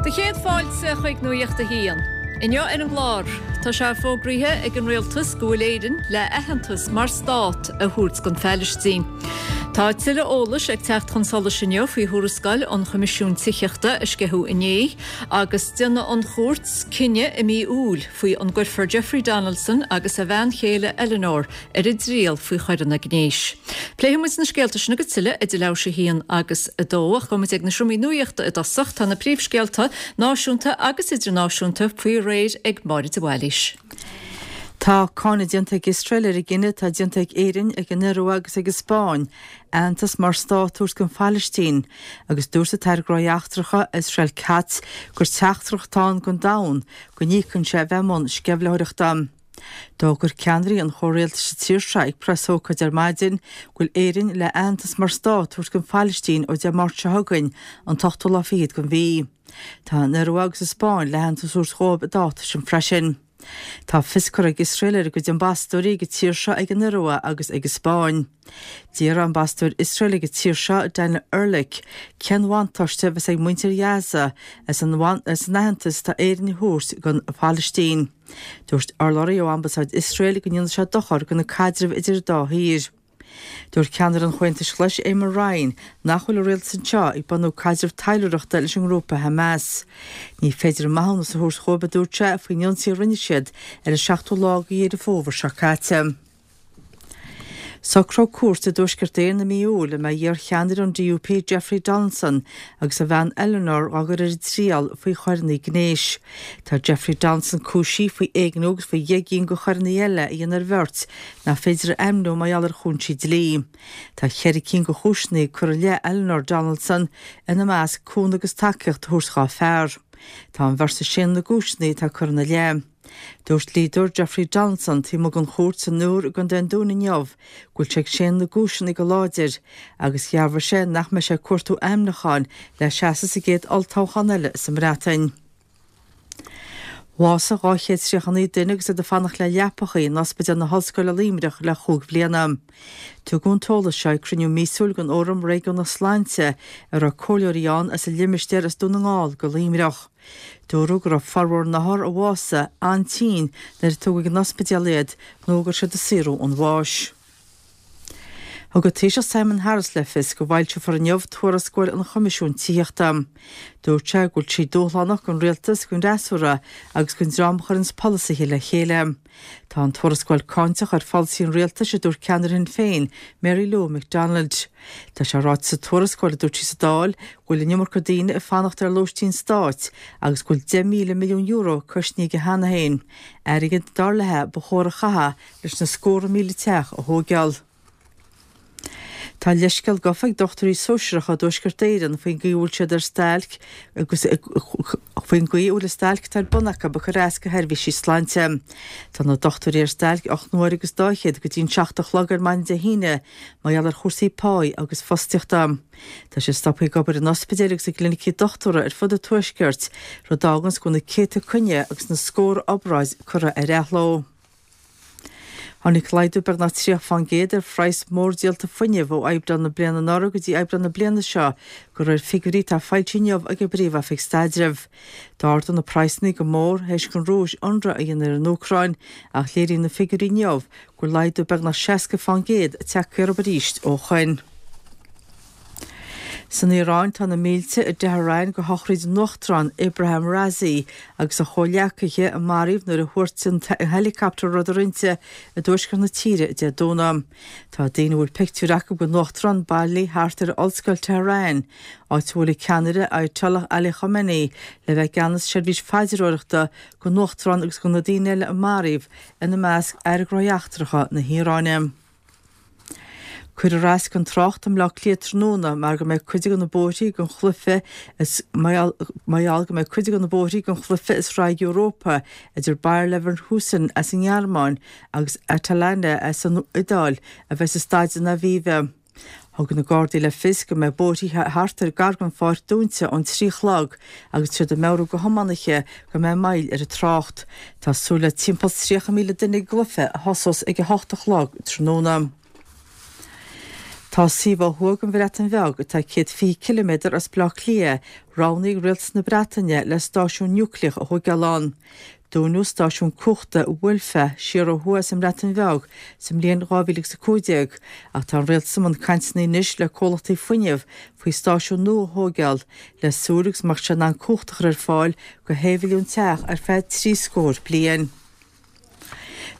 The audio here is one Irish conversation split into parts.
Do chéad fáilte chuig Nuacht a hAon. Inniu ar an gclár, tá sé fógraithe ag an rialtas go bhfuil Éirinn le aitheantas mar stát a thabhairt don Phailistín. Tá tuilleadh eolais ag teacht chun solais inniu faoi thuarascáil an Choimisiúin Tithíochta a sceitheadh inné agus déanfaidh an chúirt cinneadh i mí Iúil faoi an gcuirfear Jeffrey Donaldson agus a bhean chéile Eleanor ar a dtriail faoi choireanna gnéis. Pléifidh muid na scéalta sin agus tuilleadh idir leathuair tar éis a haon agus a dó, ach gabhfaidh muid ag na seomraí nuachta i dtosach. Tá na príomhscéalta, náisiúnta agus idirnáisiúnta, faoi réir ag Máire de Bhailís. Tá cáineadh déanta ag Iosrael ar an gcinneadh atá déanta ag Éirinn, ag an Iorua agus ag an Spáinn aitheantas mar stát a thabhairt don Phailistín agus dúirt an tAire Gnóthaí Eachtracha, Israel Katz, gur teachtaireacht atá ann don domhan go n-íocann sé a bheith i mbun sceimhlitheoireachta. D'fhógair ceannairí an chomhrialtais sa tír seo ag preasócáid ar maidin go bhfuil Éirinn le aitheantas mar stát a thabhairt don Phailistín ó Dé Máirt seo chugainn, an t-ochtú lá fichead den mhí. Tá an Iorua agus an Spáinn le haitheantas a thabhairt dhóibh an dáta sin freisin. Tá fios curtha ag Iosrael ar a gcuid ambasadóirí ag an tír seo, ag an Iorua agus ag an Spáinn. D'fhiafraigh ambasadóir Iosrael ag an tír seo, Daniel Erlich, cén bhuntáiste a bheas ag muintir Ghaza as an aitheantas atá Éirinn a thabhairt don Phailistín. Dúirt urlabhraí ó Ambasáid Iosrael go ndéanfaidh sé dochar do na caidrimh idir an dá thír. Dúirt ceannaire an Chomhaontais Ghlais Eamon Ryan nach bhfuil an rialtas anseo ag bunú caidreamh taidhleoireachta leis an ngrúpa Hamas. Ní féidir maithiúnas a thabhairt dhóibh, a dúirt sé, faoin ionsaí a rinne siad ar an seachtú lá de Dheireadh Fómhair seo caite. Socróidh cúirt i dTuaisceart Éireann i mí Iúil an mbeidh iar-cheannaire an DUP Jeffrey Donaldson agus a bhean Eleanor á gcur ar a dtriail faoi choireanna gnéis. Tá Jeffrey Donaldson cúisithe faoi éigniú agus faoi dheich gcinn de choireanna eile a dhéanamh ar bheirt nach féidir a ainmniú mar gheall ar chúinsí dlí. Tá cheithre cinn de chúiseanna curtha i leith Eleanor Donaldson, ina measc cúnamh agus tacaíocht a thabhairt dhá fear. Tá an bheirt ag séanadh na gcúiseanna atá curtha ina leith. Dúirt dlíodóir Jeffrey Donaldson taobh amuigh den chúirt san Iúr i gContae an Dúin inniu go bhfuil sé ag séanadh na gcúiseanna go láidir agus dhearbhaigh sé nach mbeidh sé ag cuartú ainmniúcháin le seasamh sa gcéad olltoghchán eile sa mBreatain. Bhásaigh 239 duine agus iad ag fanacht le leapachaí in Ospidéal na hOllscoile Luimneach le chúig bhliana. Tugadh an t-eolas seo ag cruinniú míosúil den Fhóram Réigiúnach Sláinte a raibh comhairleoirí ann as an limistéar as Dún na nGall go Luimneach. Dúradh go raibh formhór na n-othar a bhásaigh an-tinn nuair a tugadh ag an ospidéal iad nó go raibh siad ag saothrú an bháis. Thug an Taoiseach Simon Harris le fios go bhfoilseofar inniu tuarascáil an Choimisiúin Tithíochta. Dúirt sé go bhfuil sí dúshlánach don rialtas, don fhreasúra agus don dream a chuireanns polasaithe le chéile. Tá an tuarascáil cáinteach ar pholasaí an rialtais, a dúirt ceannaire Shinn Féin, Mary Lou McDonald. Tá sé ráite sa tuarascáil, a dúirt sí sa Dáil, go bhfuil an iomarca daoine ag fanacht ar lóistín stáit agus go bhfuil €10,000 milliún cosnaithe cheana féin, airgead, dar léi, ba chóir a chaitheamh leis na scórtha míle teach a thóigeáil. Tá leithscéal gafa ag dochtúirí sóisearacha i dTuaisceart Éireann faoin gcaoi a bhfuil siad ar stailc agus faoin gcaoi a bhfuil an stailc atá ar bun acu ag cur as do sheirbhísí sláinte. Tá na dochtúirí ar stailc 8 n-uaire agus dá fhichead go dtí an 7 a chlog ar maidin Dé hAoine mar gheall ar chúrsaí páí agus fostaíochta. Tá siad stoptha ag obair in ospidéil agus i gclinicí dochtúra ar fud an Tuaiscirt, rud a fháganns go bhfuil na céadta coinne agus na scórtha obráid curtha ar athló. Tháinig laghdú beagnach 30 fán gcéad ar phraghas mórdhíolta fuinnimh ó Aibreán na bliana anuraidh go dtí Aibreán na bliana seo, de réir figiúirí atá foilsithe inniu ag an bPríomh-Oifig Staidrimh. D'ardaigh na praghsanna go mór théis don Rúis ionradh a dhéanamh ar an Úcráin ach léiríonn na figiúirí inniu go bhfuil laghdú beagnach 60 fán gcéad tagtha orthu arís ó shoin. San Iaráin tá na mílte i dTehran go shochraid an Uachtaráin Ebrahim Raisi agus a chomhghleacaithe a maraíodh nuair a thuairt an heileacaptar a rabhadar inti i dtuaisceart na tíre Dé Domhnaigh. Tá daoine a bhfuil pictiúir acu den Uachtarán bailithe thart ar Ollscoil Tehran, áit a bhfuil an ceannaire Ayatollah Ali Khamenei le bheith i gceannas seirbhís phaidreoireachta don Uachtarán agus do na daoine eile a maraíodh, ina measc Aire Gnóthaí Eachtracha na hIaráine. Cuirfear as don trácht i mBleá Cliath tráthnóna mar go mbeidh cuid de na bóithrí don chluiche is mar gheall go mbeidh cuid de na bóithrí don chluiche i Sraith Europa idir Bayer Leverkusen as an nGearmáin agus Atalanta as an Iodáil a bheidh i Staid an Aviva. Thug na Gardaí le fios go mbeidh bóithrí thart ar gar don pháirc dúnta ón 3 a chlog agus tá siad ag meabhrú do thiománaithe go mbeidh moill ar an trácht. Tá súil le timpeall 30,000 duine ag an gcluiche a thosós ag a hocht a chlog tráthnóna. Tá suíomh ó thuaidh den Bhreatain Bheag, atá 120 ciliméadar as Baile Átha Cliath, roghnaithe ag rialtas na Breataine le stáisiún núicléach a thóigeáil ann. Dúnadh stáisiún cumhachta Wylfa siar ó thuaidh as an mBreatain Bheag sa mbliain 2015 ach tá an rialtas i mbun cainteanna anois le comhlachtaí fuinnimh faoi stáisiún nua a thóigeáil le súil agus go mbeadh sé in ann cumhacht a chur ar fáil go shé mhilliún teach ar feadh trí scór bliain.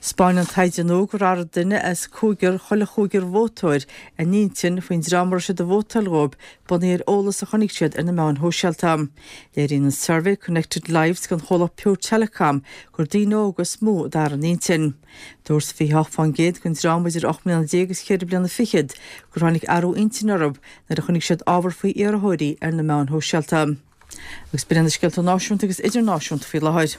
'Spáineann taighde nua gur athraigh duine as cúigear chuile chúigear vótóir a n-intinn faoin dream a raibh siad ag vótáil dhóibh bunaithe ar eolas a chonaic siad ar na meáin shóisialta. Léiríonn an suirbhé Connected Lives don chomhlacht Pure Telecom gur daoine óga is mó a d'athraigh a n-intinn. Dúirt 28% den dream idir 18 mbliana agus cheithre bliana fichead gur tháinig athrú intinne orthu nuair a chonaic siad ábhar faoi iarrthóirí ar na meáin shóisialta. Agus b'in iad na scéalta náisiúnta agus idirnáisiúnta faoi láthair.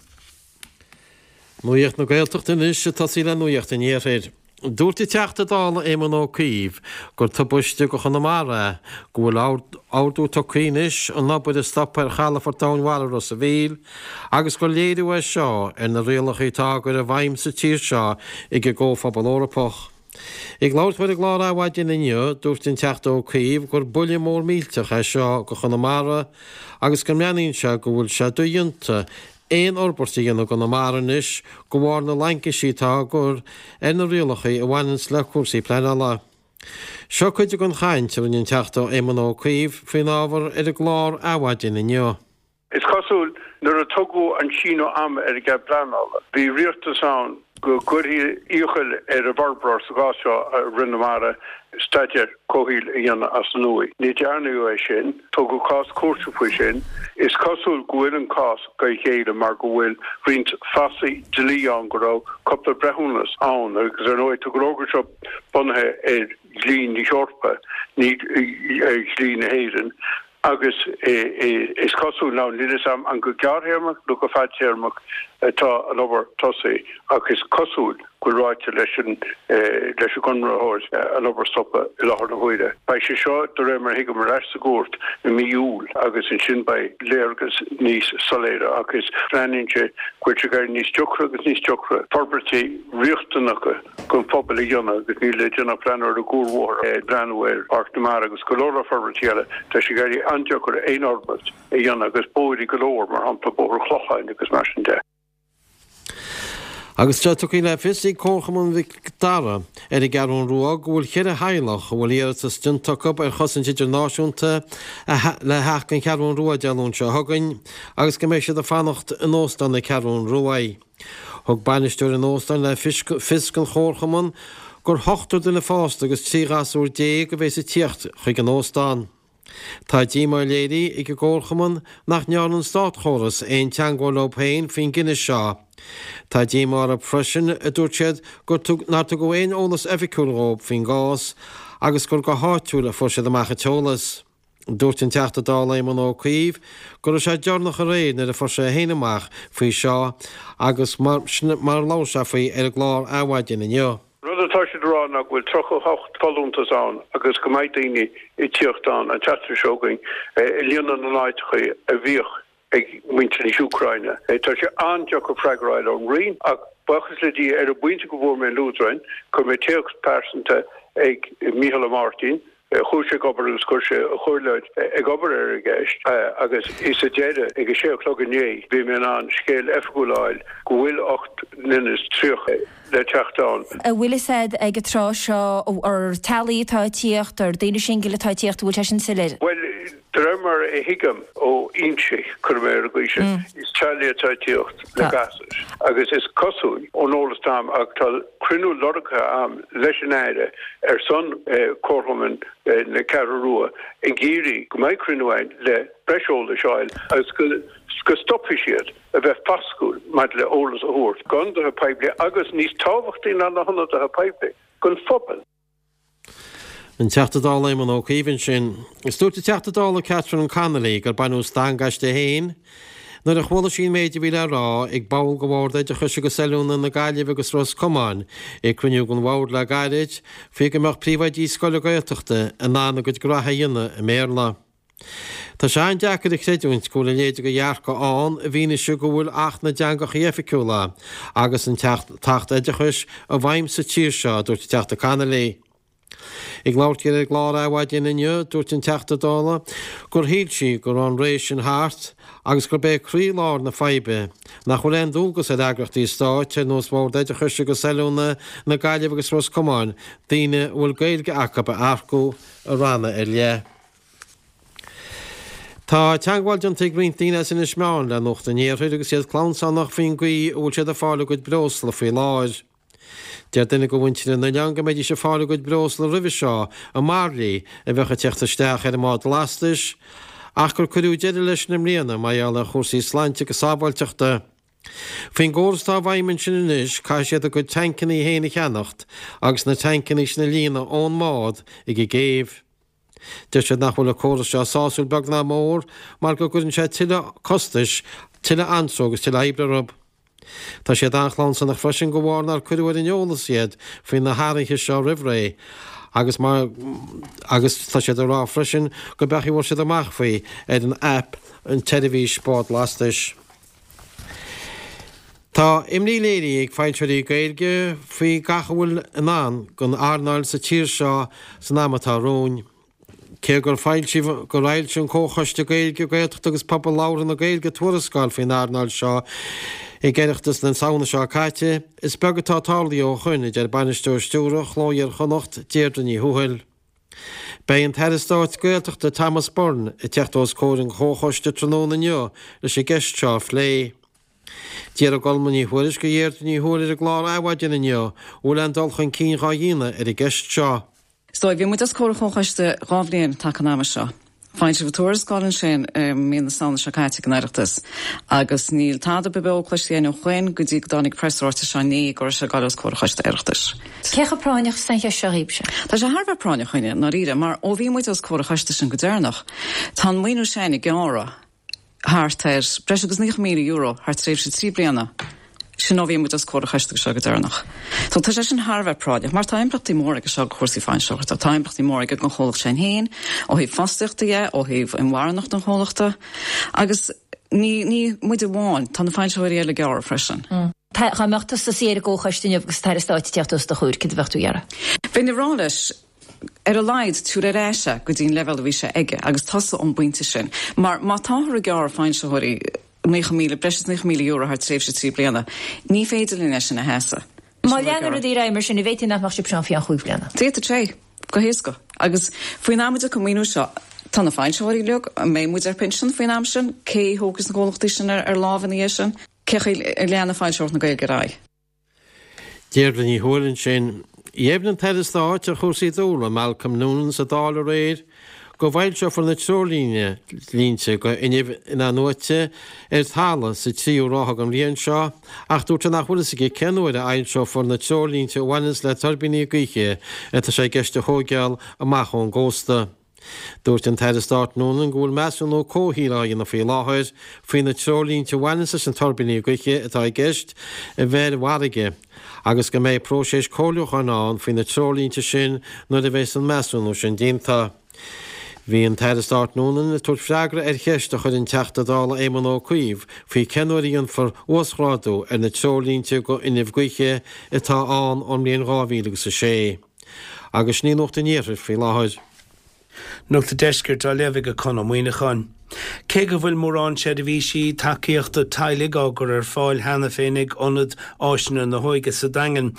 Nuacht na Gaeltachta anois, ag tosaí le Nuacht an Iarthair. Dúirt an Teachta Dála Éamon Ó Cuív gur tubaiste do Chonamara é go bhfuil ordú tugtha anois an obair a stopadh ar chalafort Domhainmhara Ros a' Mhíl agus gur léiriú é seo ar na rialacha atá á gcur i bhfeidhm sa tír seo ag an gComhphobal Eorpach. Ag labhairt dó ar an gclár Adhmhaidin inniu, dúirt an Teachta Ó Cuív gur buille mór millteach é seo do Chonamara agus go mbreathnaíonn sé go bhfuil sé dodhéanta aon fhorbairt a dhéanamh i gConamara anois de bharr na laincisí atá á gcur ar na rialacha a bhaineanns le cúrsaí pleanála. Seo cuid den chaint a rinne an Teachta Éamon Ó Cuív faoin ábhar ar an gclár Adhmhaidin inniu. Is cosúil, nuair a tugadh an síneadh ama ar an gcead pleanála, bhí riachtanas ann go gcuirfí iachall ar an bhforbróir, sa gcás seo Rith na Mara, staidéar comhshaoil a dhéanamh as an nua. Ní dearnadh é sin. Tógadh cás cúirte faoi sin. Is cosúil go bhfuil an cás go ghéilleadh mar go bhfuil roinnt fasaigh dlí ann go raibh cúpla breithiúnas ann agus ar ndóigh tá an fhógra seo bunaithe ar dhlí na hEorpa, ní ar dhlí na hÉireann. Agus is cosúil, now níl fhios a'm an go gearrthéarmach nó go fadtéarmach atá an obair tosaithe, ach is cosúil go bhfuil ráite leis an leis an gconraitheoir an obair a stopadh i láthair na huaire. Beidh sé seo, de réir mar a thuigim, ar ais sa gcúirt i mí Iúil agus ansin beidh léargas níos soiléire ach is breathnaíonn sé go bhfuil sé ag éirí níos deacra agus níos deacra forbairtí riachtanacha don phobal a dhéanamh agus níl le déanamh ach breathnú ar an gcuarbhóthar, breathnú ar Pháirc na Mara agus go leor leor forbairtí eile. Tá sé ag éirí an-deacair aon fhorbairt a dhéanamh agus bóithre go leor, mar shampla Bóthar an Chlocháin agus mar sin de. Agus tá tugtha le fios ag Comharchumann Mhic Dara ar an gCeathrú Rua go bhfuil cheithre theaghlach a bhfuil iarratas déanta acu ar chosaint idirnáisiúnta le theacht don Cheathrú Rua Dé Luain seo chugainn agus go mbeidh siad ag fanacht in Óstán na Ceathrún Ruaidh. Thug bainisteoir an óstáin le fios don Chomharchumann gur ochtar duine fásta agus 13 ghasúr a bheas ag tíocht chuig an óstán. Tá díomá léirithe ag an gComharchumann nach ndearna an státchóras aon teangmháil leo féin faoin gcinneadh seo. Tá díomá orthu freisin, a dúirt siad, gur nár tugadh aon eolas oifigiúil dhóibh faoin gcás agus gur go háitiúil a fuair siad amach an t-eolas. Dúirt an Teachta Dála Éamon Ó Cuív go raibh sé deireanach aréir nuair a fuair sé féin amach faoi seo agus mar sin mar a labhair sé faoi ar an gclár Adhmhaidin inniu. Rud atá siad a rá ná go bhfuil 38 folúntas ann agus go mbeidh daoine ag tíocht ann an tseachtain seo chugainn ag líonadh na n-áiteacha a bhíodh ag muintir na hÚcráine. Tá sé an-deacair freagra a fháil ón Roinn ach buíochas le Dia ar an bpointe go bhfuair mé an leadrán, chuir mé téacs pearsanta ag Micheál Ó Máirtín, chuaigh sé ag obair agus chuir sé a chomhairleoir ag obair ar an gceist agus sa deireadh ag a sé a chlog inné bhí mé in ann scéal oifigiúil a fháil go bhfuil 38 le teacht ann. An bhfuil fhios a'd ag an tráth seo ar teaghlaigh atá ag tíocht, ar daoine singil atá ag tíocht, an bhfuil sé sin soiléir? Bhuel, De réir mar a thuigim ó fhoinsí, cuirfidh mé ar an gcaoi sin, is teaghlaigh atá ag tíocht le gasúir agus is cosúil ón eolas atá a'm, ach tá cruinniú lorgtha a'm leis an Aire ar son Comharchumann na Ceathrú Rua ag iarraidh go mbeidh cruinniú againn le breis eolais a fháil agus go stopfaidh siad a bheith fascúil maidir le eolas a thabhairt d'ionadaithe poiblí agus níos tábhachtaí ná na hionadaithe poiblí, don phobal. An Teachta Dála Éamon Ó Cuív ansin. Is dúirt an Teachta Dála Catherine Connolly gur baineadh stangadh aisti féin nuair a chuala sí an méid a bhí le rá ag ball de Bhord Oideachais agus Oiliúna na Gaillimhe agus Ros Comáin ag cruinniú den bhord le gairid faoi go mbeadh príomhoidí scoile Gaeltachta in ann a gcuid graithe a dhéanamh i mBéarla. Tá sé an-deacair a chreidiúint go bhfuil a leithéid de dhearcadh ann i bhfianaise go bhfuil Acht na dTeangacha Oifigiúla agus an tAcht Oideachais i bhfeidhm sa tír seo, a dúirt an Teachta Connolly. Ag labhairt di ar an gclár Adhmhaidin inniu, dúirt an Teachta Dála gur shíl sí go raibh an ré sin thart agus gurb é croí-lár na faidhbe nach bhfuil aon dualgas ar eagraíochtaí stáit ar nós Bhord Oideachais agus Oiliúna na Gaillimhe agus Ros Comáin daoine a bhfuil Gaeilge acu a earcú i ranna ar leith. Tá teagmháil déanta ag roinnt daoine as Inis Meáin le Nuacht an Iarthair agus iad clamhsánach faoin gcaoi a bhfuil siad ag fáil a gcuid breosla faoi láthair. Deir duine de mhuintir an oileáin go mbeidís ag fáil a gcuid breosla roimhe seo i mbairillí a bheadh ag teacht isteach ar an mbád lastais ach gur cuireadh deireadh leis sin i mbliana mar gheall ar chúrsaí sláinte agus sábháilteachta. Faoin gcóras atá i bhfeidhm ansin anois caithfidh siad a gcuid tancannaí féin a cheannacht agus na tancannaí sin a líonadh ón mbád ag an gcéibh. Deir siad nach bhfuil an córas seo sásúil beag ná mór mar go gcuireann sé tuilleadh costais, tuilleadh anró agus tuilleadh oibre orthu. Tá siad an-chlamhsánach freisin de bharr nár cuireadh ar an eolas iad faoi na hathruithe seo roimh ré agus mar agus tá siad ag rá freisin gurb é an chaoi a bhfuair siad amach faoi ar an aip an tseirbhís bád lastais. Tá imní léirithe ag foilsitheoirí Gaeilge faoi gach a bhfuil i ndán don earnáil sa tír seo san am atá romhainn. Cé gur foilsíodh gur fhoilsigh an Comhchoiste Gaeilge, Gaeltachta agus Pobal Labhartha na Gaeilge tuarascáil faoin earnáil seo ag Oireachtas na Samhna seo caite, is beag atá tarlaithe ó shoin, a deir Bainisteoir Stiúrtha Chló Iar-Chonnacht, Deirdre Ní Thuathail. Beidh an tAire Stáit Gaeltachta Thomas Byrne ag teacht os comhair an Chomhchoiste tráthnóna inniu leis an gceist seo a phlé. D'fhiafraigh Colma Ní Thuairisg de Dheirdre Ní Thuathail ar an gclár Adhmhaidin inniu an bhfuil aon dul chun cinn dhá dhéanamh ar an gceist seo. So, bhí muid os comhair an Chomhchoiste 2 bhliain taca an ama seo. Foilsíodh tuarascáil ansin i mí na Samhna seo caite ag an Oireachtas agus níl tada beo cloiste againn ó shoin go dtí go dtáinig preasráiteas seo inné go raibh sé ag dul os comhair an Choiste Oireachtais. Cé chomh práinneach is atá an cheist seo dhaoibhse? Tá sé thar a bheith práinneach chugainne, i ndáiríre, mar ó bhí muid os comhair an choiste sin go deireanach, tá an maoiniú sin ag gearradh. thart ar breis agus €90,000 thar tréimhse 3 bliana, sin ó bhí muid os comhair an choiste seo go deireanach. So tá sé sin thar a bheith práinneach, mar tá impleachtaí móra aige seo do chúrsaí foilsitheoireachta, tá impleachtaí móra aige don chomhlacht sin féin, ó thaobh fostaíochta dhe, ó thaobh inmharthanacht an chomhlachta, agus ní, ní muid amháin, tá na foilsitheoirí eile ag gearradh freisin. Tá, dá mbeadh tusa suí ar an gcomhchoiste inniu agus an tAire Stáit ag teacht os do chomhair, céard a bheadh tú a iarraidh? Bheinn ag rá leis, ar a laghad, tabhair ar ais é go dtí an leibhéal a bhí sé aige agus tosú ón bpointe sin. Mar má táthar ag gearradh foilsitheoirí 90,000, breis is €90,000 thar tréimhse 3 bliana, ní féidir linn é sin a sheasamh. Má leanann rudaí ar aghaidh mar sin, an bhféadfaí nach mbeadh sibhse ann faoi cheann chúig bhliana? D'fhéadfadh sé, go héasca. Agus faoin am a dtiocfaidh an maoiniú seo, tá na foilsitheoirí uilig, an mbeidh muid ar pinsean faoin am sin? Cé a thógfaidh na comhlachtaí sin ar láimh ina dhiaidh sin? Cé chaoi a leanfaidh foilsitheoireacht na Gaeilge ar aghaidh? Deirdre Ní Thuathail ansin. Dheimhnigh an tAire Stáit ar chúrsaí dúlra, Malcolm Noonan sa Dáil aréir go bhfoilseofar na treoirlínte do fhuinneamh in-athnuaite ar talamh sa tríú ráithe den bhliain seo ach dúirt sé nach bhfuil fhios aige cén uair a fhoilseofar na treoirlínte a bhaineanns le tuirbíní gaoithe atá sé i gceist a thóigeáil amach ón gcósta. Dúirt an tAire Stáit Noonan go bhfuil measúnú comhshaoil á dhéanamh faoi láthair faoi na treoirlínte a bhaineanns leis na tuirbíní gaoithe atá i gceist a bheith ar an bhfarraige agus go mbeidh próiseas comhairliúcháin ann faoi na treoirlínte sin nuair a bheas an measúnú sin déanta. Bhí an tAire Stáit Noonan ag tabhairt freagra ar cheist a chuir an Teachta Dála Éamon Ó Cuív faoi cén uair a dhéanfar uasghrádú ar na treoirlínte do fhuinneamh gaoithe atá ann ón mbliain 2006. Agus sin í Nuacht an Iarthair faoi láthair. Nuacht an Deiscirt á léamh ag Conn Ó Muíneacháin. Cé go bhfuil mórán seirbhísí tacaíochta teaghlaigh á gcur ar fáil cheana féin ag Ionad Áiseanna na hÓige sa Daingean,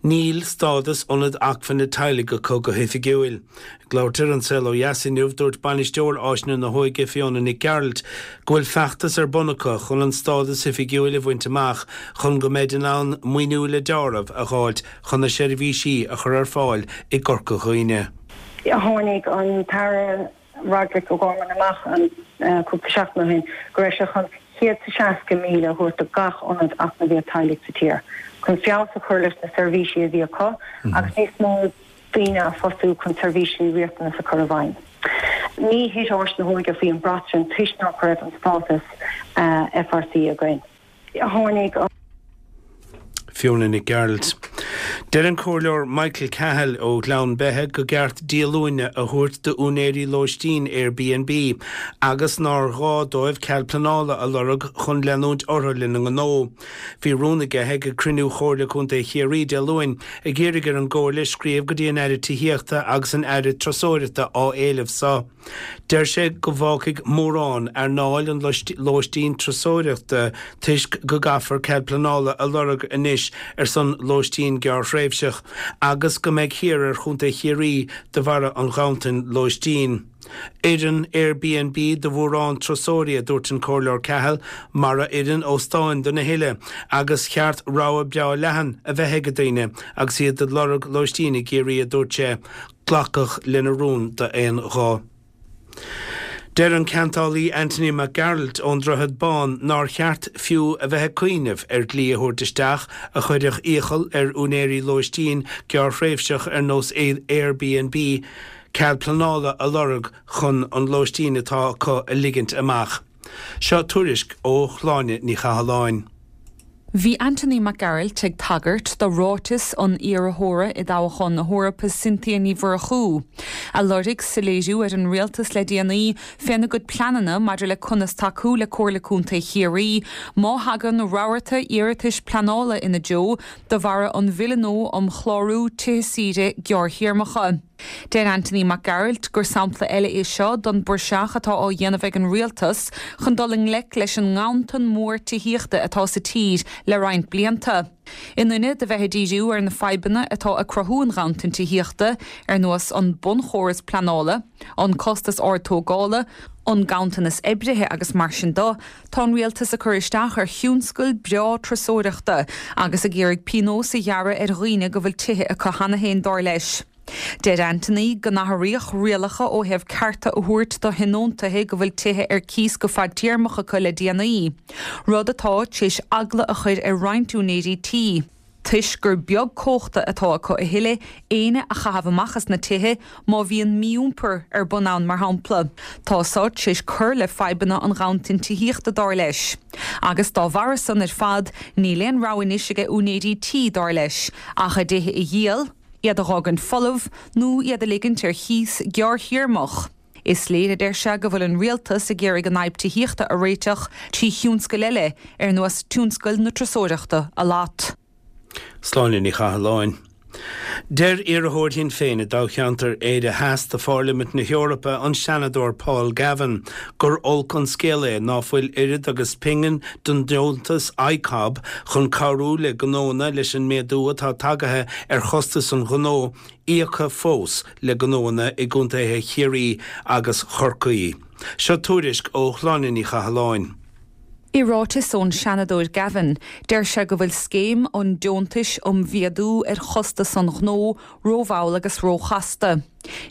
níl stádas Ionad Acmhainne Teaghlaigh acu go hoifigiúil. Ag labhairt ar An Saol Ó Dheas inniu, dúirt Bainisteoir Áiseanna na hÓige, Fiona Nic Gearailt, go bhfuil feachtas ar bun acu chun an stádas oifigiúil a bhaint amach chun go mbeid in ann maoiniú le deáramh a dh'fháilt chun na seirbhísí a chur ar fáil i gCorca Dhuibhne. Tháinig an tAire Roderic O'Gorman amach cúpla seachtain ó shin go raibh sé chun 160,000 a thabhairt do gach ionad eacnamaíocht teaghlaigh sa tír chun feabhas a chur leis na seirbhísí a bhí acu agus níos mó daoine a phostú chun seirbhísí riachtanas a chur i bhfeidhm. Ní thit Áis na hÓige faoi an brat sin toisc nach raibh an stádas FRC againn. Tháinig an. Fiona Nic Gearailt. Deir an Comhairleoir Michael Cahill ó Ghleann Beithe go gceart díolúine a thabhairt d'úinéirí lóistín Airbnb agus nár ghá dóibh cead pleanála a lorg chun leanúint orthu lena ngnó. Bhí rún aige ag cruinniú Chomhairle Contae Chiarraí Dé Luain ag iarraidh ar an gComhairle scríobh go dtí an Aire Tithíochta agus an Aire Turasóireachta á éileamh so. Deir sé go bhfágfaidh mórán earnáil an lóistín turasóireachta toisc go gcaithfear cead pleanála a lorg anois ar son lóistín gearrthréimhseach agus go mbeidh thiar ar Chontae Chiarraí de bharra an ghanntain lóistín. Oireann Airbnb do mhórán turasóirí, a dúirt an Comhairleoir Cahill, mar a oireann óstáin do na huile, agus cheart rogha breá leathan a bheith ag daoine agus iad ag lorg lóistín i gCiarraí, a dúirt sé. Glacadh lena rún d'aon ghuth. Deir an ceantálaí Anthony Mac Gearailt ón Droichead Bán nár cheart fiú a bheith ag cuimhneamh ar dhlí a thabhairt isteach a chuirfeadh iachall ar úinéirí lóistín gearrthréimhseach ar nós Airbnb cead pleanála a lorg chun an lóistín atá acu a ligint amach. Seo tuairisc ó Shláine Ní Chathalláin. Bhí Anthony Mac Gearailt ag tagairt do ráiteas an iarrthóra i dtoghchán na hEorpa Cynthia Ní Mhurchú, a lorg soiléiriú ar an rialtas le déanaí féna gcuid pleananna maidir le conas tacú le Comhairle Contae Chiarraí má thagann rabharta iarratais pleanála ina dtreo de bharra an Bhille nua um Chlárú Tithe Saoire Gearrthéarmacha. Deir Anthony Mac Gearailt gur sampla eile é seo don bpraiseach atá á dhéanamh ag an rialtas chun dul i ngleic leis an nganntan mór tithíochta atá sa tír le roinnt blianta. In ionad a bheith ag díriú ar na fadhbanna atá ag cruthú an ghanntain tithíochta, ar nós an bunchóras pleanála, an costas ard tógála, an ganntanas oibrithe agus mar sin de, tá an rialtas ag cur isteach ar thionscal breá turasóireachta agus ag iarraidh pionós a ghearradh ar dhaoine go bhfuil tithe acu cheana féin, dar leis. Deir Anthony go n-athraíodh rialacha ó thaobh cearta a thabhairt do thionóntaithe go bhfuil tithe ar cíos go fadtéarmach acu le déanaí, rud atá tar éis eagla a chur ar roinnt úinéirí tí, toisc gur beag cumhachta atá acu a thuilleadh éinne a chaitheamh amach as na tithe má bhíonn mí-iompar ar bun ann, mar shampla. Tá so tar éis cur le fadhbanna an ghanntain tithíochta, dar leis. Agus dá bharra san ar fad, níl aon rogha anois aige úinéirí tí, dar leis, ach a dtithe a dhíol, iad a dh'fhágaint folamh nó iad a ligint ar chíos gearrthéarmach. Is léir, a deir sé, go bhfuil an rialtas ag iarraidh an fhadhb tithíochta a réiteach trí thionscail eile, ar nós tionscal na turasóireachta, a shlad. Sláine Ní Chathalláin. Deir iarrthóir Shinn Féin i dtoghcheantar Éire Theas do Phairlimint na hEorpa, an Seanadóir Paul Gavin, gur olc an scéal é ná fuil oiread agus pingin den deontas ICOB chun cabhrú le gnóanna leis an méadú atá tagaithe ar chostas an ghnó íoctha fós le gnóanna i gcontaetha Chiarraí agus Chorcaí. Seo tuairisc ó Shláine Ní Chathalláin. I ráiteas ón Seanadóir Gavin, deir sé go bhfuil scéim an deontais um mhéadú ar chostas an ghnó rómhall agus róchasta.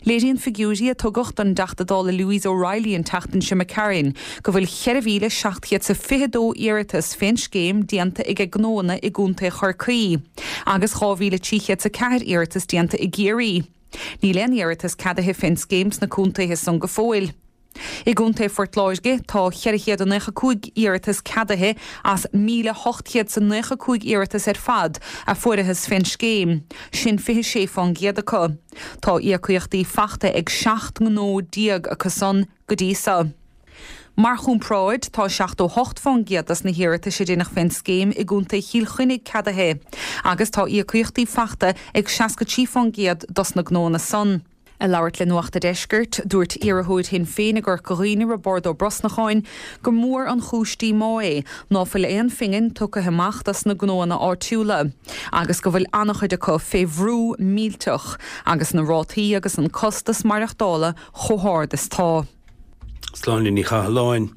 Léiríonn figiúirí a tugadh don dTeachta Dála Louise O'Reilly an tseachtain seo imigh tharainn go bhfuil 4,722 iarratas fén scéim déanta ag gnóanna i gContae Chorcaí agus 2,304 iarratas déanta i gCiarraí. Níl aon iarratas ceadaithe fén scéim sna contaetha san go fóill. I gContae Phort Láirge, tá 495 iarratas ceadaithe as 1,895 iarratas ar fad a fuarathas fén scéim, sin 26% acu. Tá íocaíochtaí fachta ag 17 ngnó acu san go dtí so. Mar chomparáid, tá 78% dos na hiarratais a deineadh fén scéim i gContae Chill Chainnigh ceadaithe agus tá íocaíochtaí fachta ag 63% dos na gnóanna san. Ag labhairt le Nuacht a' Deiscirt, dúirt iarrthóir Shinn Féin i gCorca Dhuibhne, Roibeárd Ó Brosnacháin, gur mór an chúis díomá é ná fuil aon phingin tugtha amach dos na gnóanna áitiúla agus go bhfuil an-chuid acu fé bhrú millteach agus na rátaí agus an costas maireachtála chomh hard is tá. Sláine Ní Chathalláin.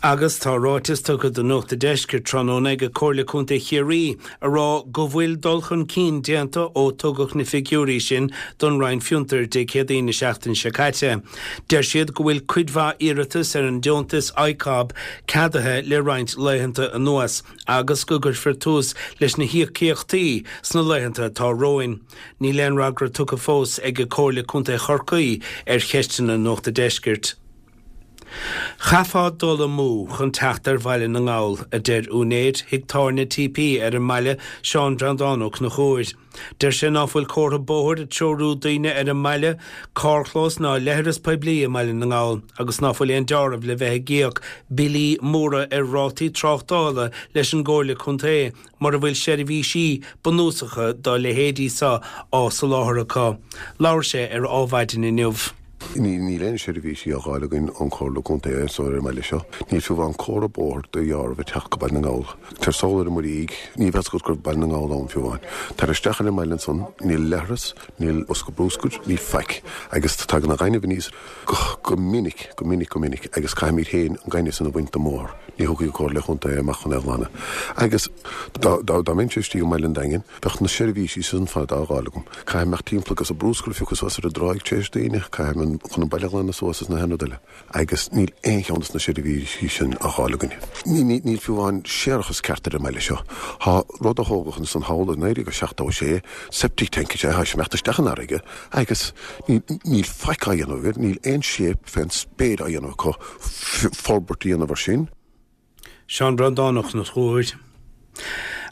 Agus tá ráiteas tugtha do Nuacht a' Deiscirt tráthnóna ag Comhairle Contae Chiarraí a rá go bhfuil dul chun cinn déanta ó tugadh na figiúirí sin don Roinn Fiontair Dé Céadaoin na seachtaine seo caite. Deir siad go bhfuil cuid mhaith iarratas ar an deontas ICOB ceadaithe le roinnt laethanta anuas agus go gcuirfear tús leis na híocaíochtaí sna laethanta atá romhainn. Níl aon fhreagra tugtha fós ag Comhairle Contae Chorcaí ar cheisteanna Nuacht a' Deiscirt. Chaithfeá dul amú chun teacht ar Bhaile na nGall, a deir úinéir thigh tábhairne TP ar an mbaile, Seán Breandán Ó Conchúir. Deir sé ná fuil comhartha bóthair ag treorú daoine ar an mbaile, carrchlós ná leithreas poiblí i mBaile na nGall agus ná fuil aon deáramh le bheith ag íoc billí móra ar rátaí tráchtála leis an gComhairle Contae mura bhfuil seirbhísí bunúsacha dá leithéidí seo á soláthar acu. Labhair sé ar Ádhmhaidin inniu. Níl aon seirbhísí á dh'fháil againn ón Chomhairle Contae anso ar an mbaile seo. Níl fiú amháin comhartha bóthair de dheáramh ag teacht go Baile na nGall. Tar sall ar an Muirígh, ní bheadh fhios agat go raibh Baile na nGall ann fiú amháin. Tar isteach ar an mbaile ansan, níl leithreas, níl bosca brúscair, níl faic. Agus tagann an gaineamh aníos go minic, go minic, go minic agus caithfimid féin an gaineamh san a bhaint den mbóthar. Ní thiocfaidh an Comhairle Chontae amach chun é a ghlanadh. Agus dá mbeinnse istigh i mBaile an Daingin, Bheadh na seirbhísí san fad á dh'fháil agam. Caithfidh imeacht timpeall agus an brúscar a phiocadh suas ar an dtráigh tar éis daoine, caithfidh chun an baile a ghlanadh suas is na haon rud eile. Agus níl aon cheann dos na seirbhísí sin á dh'fháil againn. Níl fiú amháin séarachas ceart ar an mbaile seo. Thá rud a thógadh ansan thall i 1976, septic tank is ea, thá sé imeacht isteach an fharraige agus níl faic á dhéanamh air, níl aon shape fén spéir á dhéanamh acu forbairt a dhéanamh ar sin. Seán Breandán Ó Conchúir.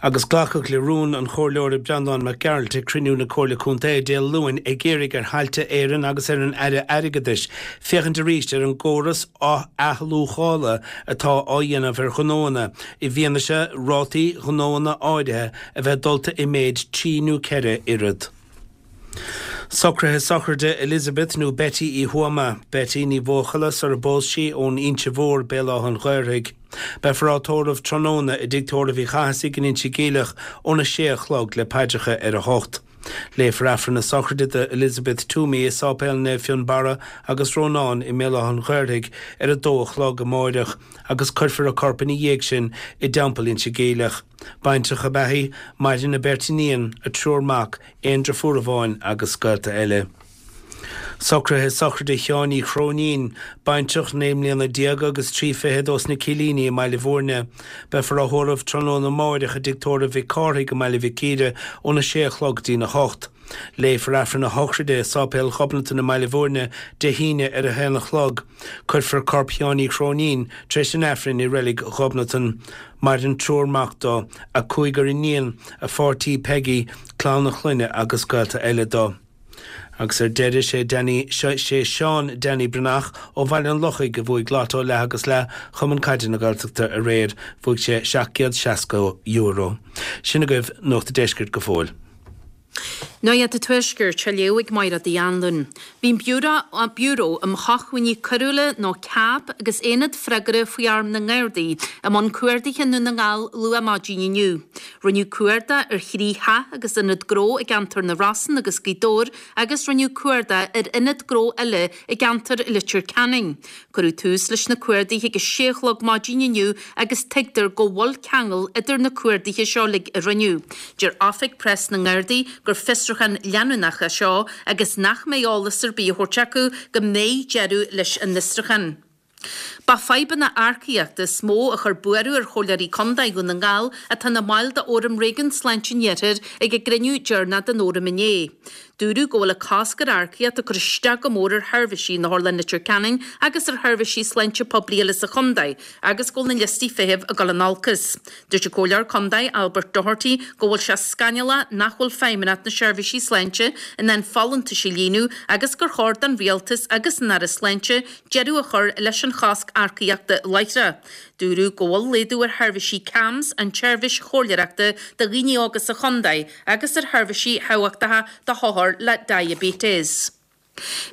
Agus glacadh le rún an Chomhairleora Breandán Mac Gearailt ag cruinniú na Comhairle Contae Dé Luain ag iarraidh ar Thailte Éireann agus ar an Aire Airgeadais féachaint arís ar an gcóras athluachála atá á dhéanamh ar ghnóanna i bhfianaise rátaí gnóanna áirithe a bheith dulta i méid 3 nó 4 oiread. Socruithe sochraide Elizabeth nó Betty Uí Thuama, Betty Ní Bhuachalla sar a bpós sí, ón Inse Mhór, Béal Átha an Ghaorthaidh. Beifear á tórramh tráthnóna i dTigh Tórraimh Uí Chathasaigh in Inse Geimhleach óna sé a chlog le paidreacha ar a hocht. Léifear Aifreann na sochraide do Elizabeth Toomey i Sáipéal Naomh Fionnbarra agus Rónán i mBéal Átha an Ghaorthaidh ar a dó a chlog amáireach agus cuirfear a corp ina dhiaidh sin i dTeampall Inse Geimhleach. Baintreach ab ea í, maireann a beirt iníon, a triúr mac, aon driofúr amháin agus gaolta eile. Socruithe sochraide Sheáin Uí Chróinín, baintreach 19 mbliana agus 3 fichead ós na Cillíní i mBaile Bhúirne. Beifear á thórramh tráthnóna amáireach i dTigh Tórraimh Mhic Cárthaigh i mBaile Mhic Íre óna sé a chlog dtína hocht. Léifear Aifreann a shochraide i Sáipéal Ghobnatan i mBaile Bhúirne Dé hAoine ar a haon a chlog. Cuirfear corp Sheáin Uí Chróinín tar éis an Aifrinn i Reilig Ghobnatan. Maireann triúr mac dó, a cúigear iníon, a pháirtí Peggy, clann a chlainne agus gaolta eile dó. Agus ar deireadh, sé Danny, sé Seán Danny Breathnach ó Bhaile an Lochaigh a bhuaigh Lotto leath agus leath Chumann Caide na Gaeltachta aréir. Bhuaigh sé €760. Sin agaibh Nuacht a' Deiscirt go fóill. Nuacht an Tuaiscirt á léamh ag Máire Uí Anluain. Bhí an Biúró um Shócmhainní Coiriúla nó cab agus Aonad Freagartha faoi Airm na nGardaí i mbun cuardaithe i nDún na nGall luath maidin inniu. Rinneadh cuardach ar thrí theach agus ionad gnó i gceantar na Rosann agus Gaoth Dobhair agus rinneadh cuardach ar ionad gnó eile i gceantar Leitir Ceanainn. Cuireadh tús leis na cuardaithe ag a sé a chlog maidin inniu agus tuigtear go bhfuil ceangal idir na cuardaithe seo uilig a rinneadh. Deir Oifig Preas na nGardaí gur fiosrúchán leanúnach é seo agus nach mbeidh eolas ar bith á thabhairt acu go mbeidh deireadh leis an bhfiosrúchán. Ba fadhbanna earcaíochta is mó a chuir buaireamh ar Chomhairleoirí Contae Dhún na nGall atá ina mbaill d'Fhóram Réigiún Sláinte an Iarthair ag a gcruinniú deireanach den Fhóram inné. Dúradh go bhfuil an cosc ar earcaíocht ag cur isteach go mór ar sheirbhísí in Otharlann Leitir Ceanainn agus ar sheirbhísí sláinte poiblí eile sa chontae agus go bhfuil na liostaí feithimh ag dul in olcas. Dúirt an Comhairleoir Contae Albert Doherty go bhfuil sé scannalach nach bhfuil Feidhmeannacht na Seirbhísí Sláinte in ann folúntais a líonadh agus gur chóir don Rialtas agus an Aire Sláinte deireadh a chur leis an chosc earcaíochta láithreach. Dúradh go bhfuil laghdú ar sheirbhísí CAMHS, an tseirbhís chomhairleoireachta do dhaoine óga sa chontae, agus ar sheirbhísí thábhachtacha do hothair le diaibéiteas.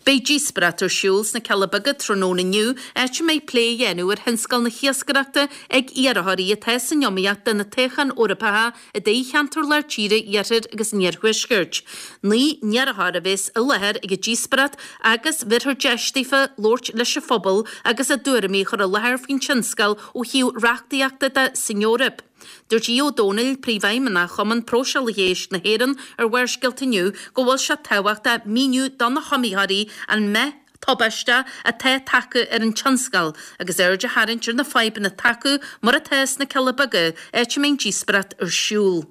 Beidh díospóireacht ar siúl sna Cealla Beaga tráthnóna inniu, áit a mbeidh plé a dhéanamh ar thionscal na hiascaireachta ag iarrthóirí atá san iomaíocht do na toghcháin Eorpacha i dtoghcheantar Lár Tíre, Iarthair agus an Iarthuaiscirt. 9 n-iarrthóir a bheas i láthair ag an díospóireacht agus bhéarfar deis daofa labhairt leis an phobal agus a dtuairimí a chur i láthair faoin tionscal ó thaobh reachtaíochta de san Eoraip. Dúirt Aodh Ó Domhnaill, Príomhfheidhmeannach Chumann Próiseálaithe Éisc na hÉireann ar Bharrscéalta inniu go bhfuil sé tábhachtach míniú do na hiomaitheoirí an meath tubaisteach atá tagtha ar an tionscal agus aird a tharraingt ar na fadhbanna atá acu mar atá sna Cealla Beaga, áit a mbeidh an díospóireacht ar siúl.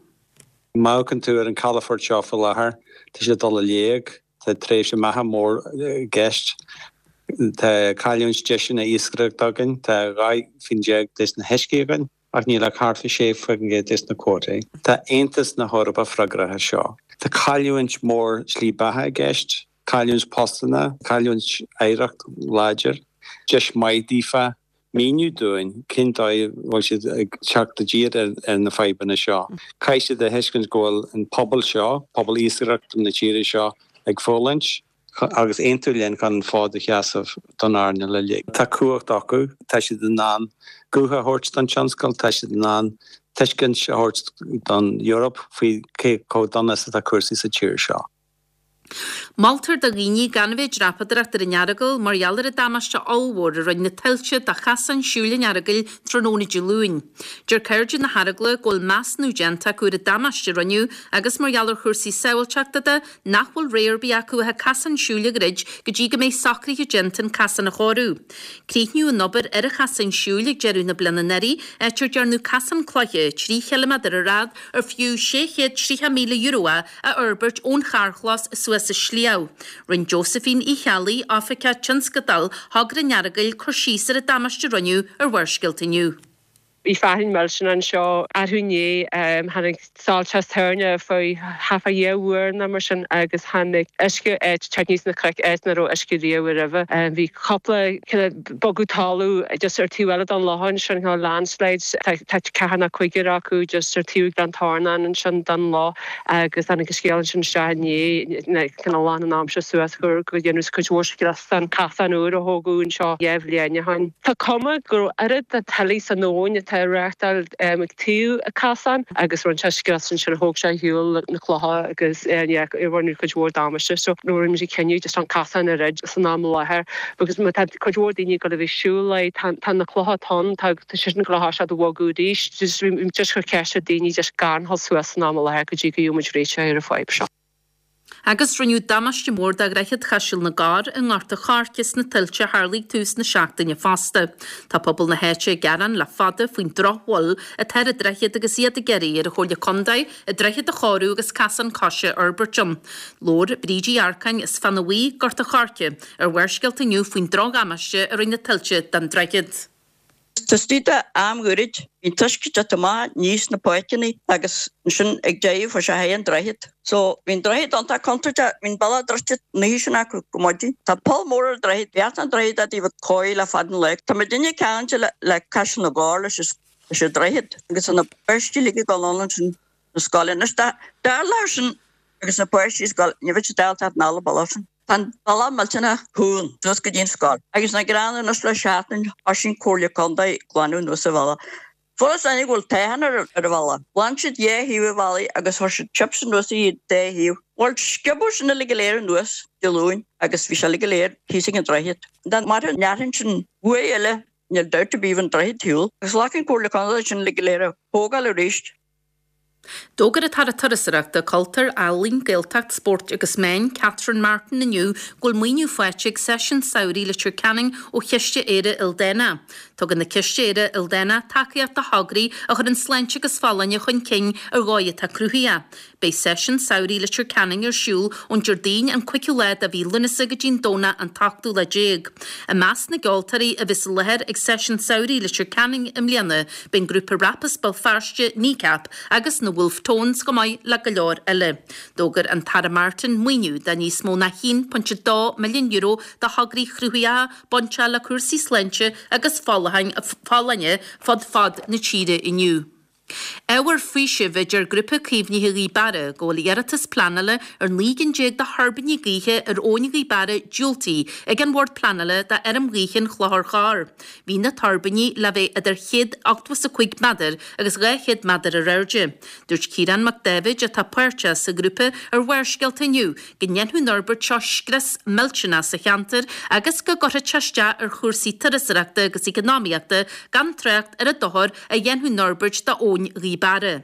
Má amharcann tú ar an calafort seo faoi láthair, tá sé ag dul i léig. Tá tréimhse meatha mór i gceist. Tá cailliúint deiseanna iascaireachta againn, tá 12 faoin gcéad des na huiscí againn ach níl ach thart fá 6% des na cuótaí. Tá Aontas na hEorpa freagrach as seo. Tá cailliúint mór slí beatha i gceist, cailliúint postanna, cailliúint oidhreacht láidir. Deis maith daofa míniú dúinn cén dóigh a bhfuil siad ag teacht i dtír ar na fadhbanna seo. Caithfidh siad a thuiscint go bhfuil an pobal seo, pobal iascaireachta na tíre seo, ag fulaingt agus aontú linn chun an fód a sheasamh don earnáil uilig. Tá cumhacht acu, tá siad in ann guth a thabhairt don tionscal, tá siad in ann tuiscint a thabhairt don Eoraip faoi cé chomh dona is atá cúrsaí sa tír seo. Moltar do dhaoine gan a bheith ag dreapadóireacht ar an Earagail mar gheall ar an damáiste ollmhór a rinne na tuilte do chasán siúil an Earagail tráthnóna Dé Luain. Deir Cairde na hEaragla go bhfuil measúnú déanta acu ar an damáiste a rinneadh agus mar gheall ar chúrsaí sábháilteachta de nach bhfuil rogha ar bith acu ach an casán siúil a dhruid go dtí go mbeidh socruithe déanta an casán a chóiriú. Críochnaíodh an obair ar an chasán siúil ag deireadh na bliana anuraidh, áit ar dearnadh casán cloiche 3 chiliméadar ar fhad ar fiú €630,000 é a fhorbairt ón charrchlós suas an sliabh. Rinne Josephine Uí Cheallaigh, Oifigeach Tionscadail Thogra an Earagail, cur síos ar an damáiste a rinneadh ar Bharrscéalta inniu. Bhí fearthainn millteanach anseo arú inné. Tháinig soilse toirne faoi thart fá dhá uair nó mar sin agus tháinig uisce áit teacht aníos na cnoic áit nach raibh uisce riamh roimhe. Bhí cúpla cineál bogadh talamh just ar taobh eile den loch ansin, cineál landslides, tá ceathair nó cúigear acu just ar taobh Ghleann Tornáin ansin den loch agus tháinig an scéal ansin isteach inné, cineál lán an am seo suas gur go dhéanadh cuid mhór scrios den chasán úr a thógadh anseo dhá bhliain ó shin. Tá cuma go raibh oiread de tuile san abhainn atá ag reáchtáil ag taobh an chasáin agus rinne sé scrios ansin, thóg sé ar shiúl na clocha agus yeah rinne cuid mhór damáiste so rinne muid an cinneadh just an casán a dhruid san am i láthair because má tá cuid mhór daoine ag dul a bheith ag siúl leis tá na clocha atá ann tá tá siad sin ag dul a bhogadh arís just just cur ceist ar daoine just gan dhul suas san am i láthair go dtí go gheobhaidh muid réiteach ar an fadhb seo. Agus rinneadh damáiste mór do Dhroichead Chaiseal na gCorr i nGort a' Choirce sna tuilte a tharlaigh tús na seachtaine fosta. Tá pobal na háite ag gearán le fada faoin drochbhail atá ar an droichead agus iad ag iarraidh ar an Chomhairle Contae an droichead a chóiriú agus casán coise a fhorbairt ann. Labhair Bríd Uí Earcáin as Feadhan Bhuí, Gort a' Choirce, ar Bharrscéalta inniu faoin drochdhamáiste a rinne na tuilte don droichead. Taobh istigh de am ghairid, bhí an t-uisce ag teacht amach aníos na páirceanna agus ansin ag deireadh fuair sé thar an droichead. So bhí an droichead iontach contúirteach, bhí an bealach druidte an oíche sin acu go maidin. Tá poll mór ar an droichead, bheadh an droichead i dtaobh cóir le fada an lá. Tá muidinne ceangailte le le Caiseal na gCorr leis leis an droichead agus tá na páistí uilig ag dul ann ansin na scoile. Anois dá dtarlódh sin agus na páistí ag scoil, ní bheadh siad ábalta teacht anall an bealach sin. Tá an bealach millteanach cúng suas go dtí an scoil agus nach greannmhar anois le seachtain thosaigh an Comhairle Contae ag glanadh anuas an bhealach. Fuarthas inniu go bhfuil toitheann ar an bhealach. Ghlan siad dhá thaobh an bhealaigh agus chuir siad chips anuas ar an dá thaobh. Bhuel, sciobadh sin uilig go léir anuas Dé Luain agus bhí sé uilig go léir thíos ag an droichead. Dá mairfeadh an fhearthainn sin uair eile níl dabht ar bith bheadh an droichead ar shiúl. Agus ghlac an Comhairle Contae sin uilig go léir a thógáil arís. D'fhógair an tAire Turasóireachta, Cultúir, Ealaíon, Gaeltacht, Spóirt agus Meáin, Catherine Martin inniu go bhfuil maoiniú faighte ag Seisiún Samhraidh Leitir Ceanainn ó Chiste Éire Ildánach. Tugann an Ciste Éire Ildánach tacaíocht do thograí a chuireann sláinte agus folláine chun cinn ar dhóigh atá cruthaitheach. Beidh Seisiún Samhraidh Leitir Ceanainn ar siúl ón Déardaoin an 5ú lá de mhí Lúnasa go dtí an Domhnach an t-ochtú lá déag. I measc na gceoltóirí a bheas i láthair ag Seisiún Samhraidh Leitir Ceanainn i mbliana beidh an grúpa rap as Béal Feirste, Kneecap, agus na Wolfe Tones chomh maith le go leor eile. D'fhógair an tAire Martin maoiniú de níos mó ná €1.2 milliún do thograí cruthaitheacha bainteach le cúrsaí sláinte agus folláine fud fad na tíre inniu. Ábhar faoisimh, a deir Grúpa Caomhnaithe Ghaoth Beara, go bhfuil iarratas pleanála ar 19 gcinn de thuirbíní gaoithe ar Abhainn Ghaoth Beara diúltaithe ag an Bhord Pleanála do Fheirm Ghaoithe an Chlochair Chorr. Bhí na tuirbíní le bheith idir 185 méadar agus 200 méadar ar airde. Dúirt Ciarán Mac Dáibhid, atá páirteach sa ghrúpa ar Bharrscéalta inniu, go ndéanfadh an fhorbairt seo scrios millteanach sa cheantar agus go gcuirfeadh sé isteach ar chúrsaí turasóireachta agus eacnamaíochta gan trácht ar an dochar a dhéanfadh an fhorbairt d'Abhainn Ghaoth Beara.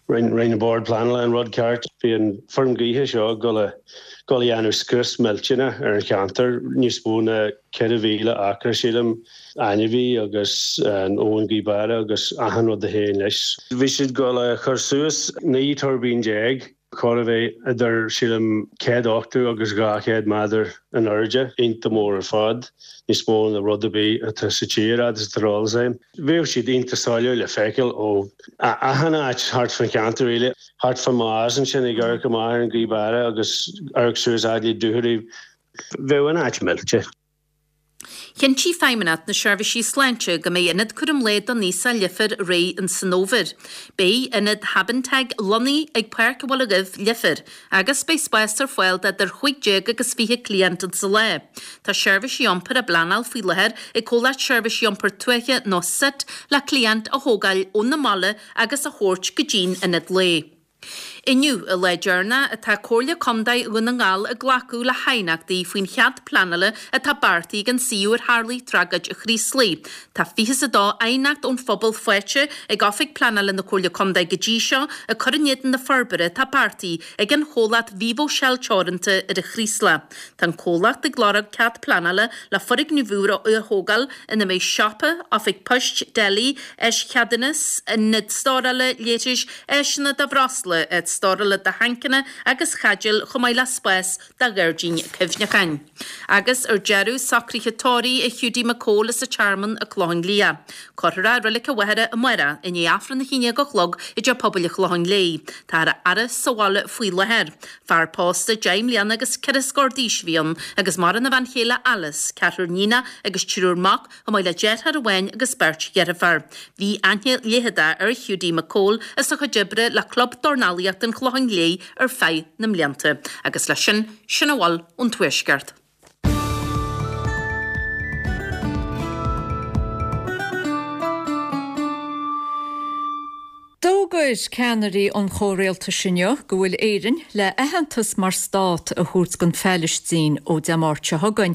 Rinne an Bord Pleanála an rud ceart. Bhí an feirm gaoithe seo ag dul a dul a dhéanamh scrios millteanach ar an cheantar, níos mó ná 4,000 acra sílim, ainmhí agus an abhainn Gaoth Beara agus achan rud a théann leis. Bhí siad ag dul a chur suas 19 tuirbín. Chóir a bheith idir, sílim, 180 agus 200 méadar in airde, iontach mór ar fad, níos mó ná rud ar bith atá sa tír, fhad is atá ar eolas agam. Bheadh siad iontach soiléir le feiceáil ó achan áit thart fán cheantar, really. Thart fá Maghas ansin, ag amharc amach ar an Ghaoth Beara agus amharc suas fhad le Dúchoraidh, bheadh an áit millte. Chinntigh Feidhmeannacht na Seirbhísí Sláinte go mbeidh Ionad Cúram Lae don Aosach Leifear réidh in san fhómhar. Beidh Ionad Habinteg lonnaithe ag Páirc an Bhaile Dhuibh, Leifear, agus beidh spás ar fáil d'idir 15 agus 20 cliant in sa lá. Tá seirbhísí iompair á bpleanáil faoi láthair ag Comhlacht Seirbhísí Iompair Tuaithe nó sit le cliaint a thógáil óna mbaile agus a thabhairt go dtí'n Ionad Lae. Inniu, an lá deireanach atá Comhairle Contae Dhún na nGall ag glacadh le haighneachtaí faoin chead pleanála atá beartaithe ag an suíomh ar tharlaigh tragóid an Chraoslaigh. Tá 22 aighneacht ón phobal faighte ag Oifig Pleanála na Comhairle Contae go dtí seo ag cur in éadan na forbartha atá beartaithe ag an chomhlacht Vivo Shell Teoranta ar an Chraoslach. Tá an comhlacht ag lorg cead pleanála le foirgneamh úr a thógáil ina mbeidh siopa, oifig poist, deli, eischeadúnas, ionad stórála leithris, áiseanna do bhreosla, áit stórála do thancanna agus chaidéil chomh maith le spás do ghairdín cuimhneacháin. Agus ar deireadh, socruithe tórraimh ar Hiúdaí Mac Cóil as an Tearmann, an Clochán Liath. Cuirfear é i Reilig an Mhachaire amárach i ndiaidh Aifreann a 11 a chlog i dTeach Pobail an Chlocháin Léith. Táthar á fhaire sa bhaile faoi láthair. Fear pósta deich mbliana agus ceithre scór d'aois a bhí ann agus maireann a bhean chéile Alice, ceathrar níonach agus triúr mac, chomh maith le deartháir amháin agus beirt dheirféar. Bhí aithne leitheadach ar Hiúdaí Mac Cóil as a chuid oibre le Club Dornálaíochta an Chlocháin Léith ar feadh na mblianta. Agus leis sin, sin a bhfuil ón Tuaisceart. D'fhógair ceannairí an chomhrialtais inniu go bhfuil Éirinn le aitheantas mar stát a thabhairt don Phailistín ó Dé Máirt seo chugainn.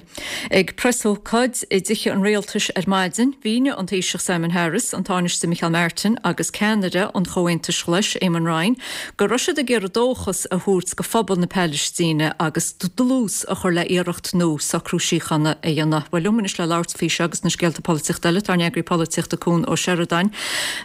Ag preasócáid i dTithe an Rialtais ar maidin, mhínigh an Taoiseach Simon Harris, an Tánaiste Micheál Martin agus ceannaire an Chomhaontais Ghlais, Eamon Ryan, go raibh siad ag iarraidh dóchas a thabhairt go phobal na Pailistíne agus dlús a chur le iarracht nua socrú síochána a dhéanamh. Bhuel, liom anois le labhairt faoi seo agus na scéalta polaitíochta eile, tá ár n-eagraí polaitíochta Cuan Ó Seireadáin.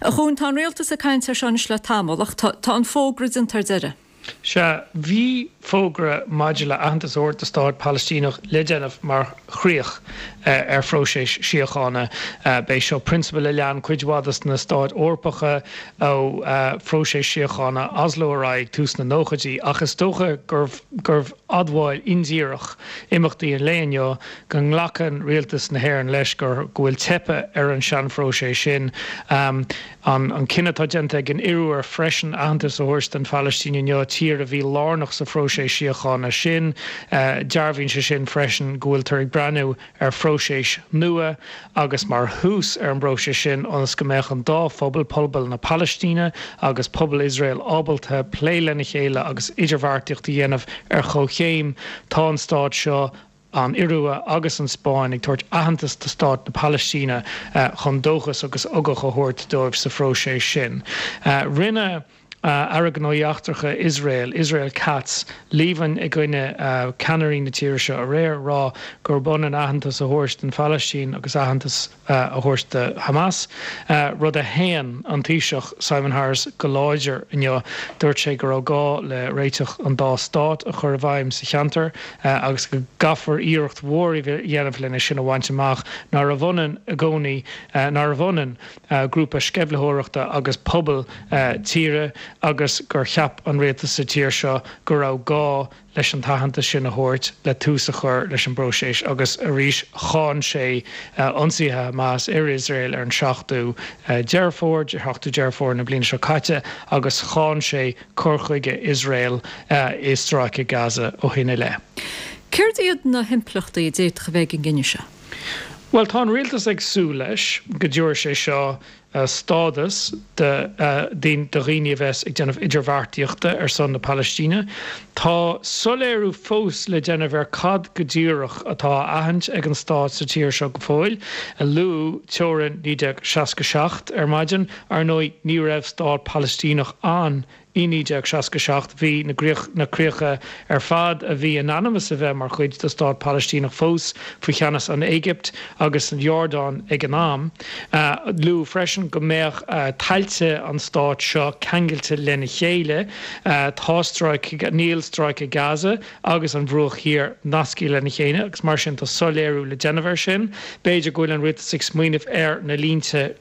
A Chuain, tá an rialtas ag caint air seo anois le tamall ach tá an fógra déanta ar deireadh. Sea, bhí fógra maidir le aitheantas a thabhairt do stát Palaistíneach le déanamh mar chríoch ar phróiseas síochána. B'é seo prionsabal a lean cuid mhaith de na stáit Eorpacha ó phróiseas síochána Oslo ar aghaidh ag tús na nóchaidí, ach is dócha gurbh admháil indíreach imeachtaí an lae inniu go nglacann rialtas na hÉireann leis go bhfuil teipthe ar an seanphróiseas sin. An cinneadh atá déanta ag an Iorua freisin aitheantas a thabhairt don Phalaistín inniu, tír a bhí lárnach sa phróiseas síochána sin, dearbhaíonn sé sin freisin go bhfuiltear ag breathnú ar phróiseas nua agus mar thús ar an bpróiseas sin ionas go mbeadh an dá phobal, pobal na Palaistíne agus pobal Iosrael ábalta plé lena chéile agus idirbheartaíocht a dhéanamh ar chomhchéim. Tá an stát seo an Iorua agus an Spáinn ag tabhairt aitheantas do stát na Palaistíne chun dóchas agus ugach a thabhairt dóibh sa phróiseas sin. Rinne Aire Gnóthaí Eachtracha Iosrael, Israel Katz, líomhain i gcoinne ceannairí na tíre seo aréir, ag rá gurb ionann aitheantas a thabhairt don Phalaistín agus aitheantas a thabhairt do Hamas, rud a shéan an Taoiseach Simon Harris go láidir inniu. Dúirt sé go raibh gá le réiteach an dá stát a chur i bhfeidhm sa cheantar agus go gcaithfear iarracht mhór a dhéanamh lena sin a bhaint amach, nárbh ionann i gcónaí, nárbh ionann grúpa sceimhlitheoireachta agus pobal tíre agus gur cheap an rialtas sa tír seo go raibh gá leis an t-aitheantas sin a thabhairt le tús a chur leis an bpróiseas agus arís cháin sé ionsaithe Hamas ar Iosrael ar an 7ú Deireadh Fómhair, 7ú Deireadh Fómhair na bliana seo caite agus cháin sé cur chuige Iosrael i Stráice Gaza ó shin i leith. Céard iad na himpleachtaí a d'fhéadfadh a bheith ag an gcinneadh seo? Bhuel, tá an rialtas ag súil leis go dtabharfaidh sé seo stádas do dhaoine a bheas ag déanamh idirbheartaíochta ar son na Palaistíne. Tá soiléiriú fós le déanamh ar cad go díreach atá á aithint ag an stát sa tír seo go fóill. Luadh teorainn 1967 ar maidin. Ar ndóigh, ní raibh stát Palaistíneach ann I 1967 bhí na críocha ar fad a bhí in ainm is a bheith mar chuid de stát Palaistíneach fós faoi cheannas an Éigipt agus an Iordáin ag an am. Luadh freisin. freisin go mbeadh tailte an stáit seo ceangailte lena chéile. Tá stráice, níl stráice Gaza agus an Bhruach Thiar nasctha lena chéile agus mar sin tá soiléiriú le déanamh air sin. B'fhéidir go bhfuil an rialtas ag smaoineamh ar na línte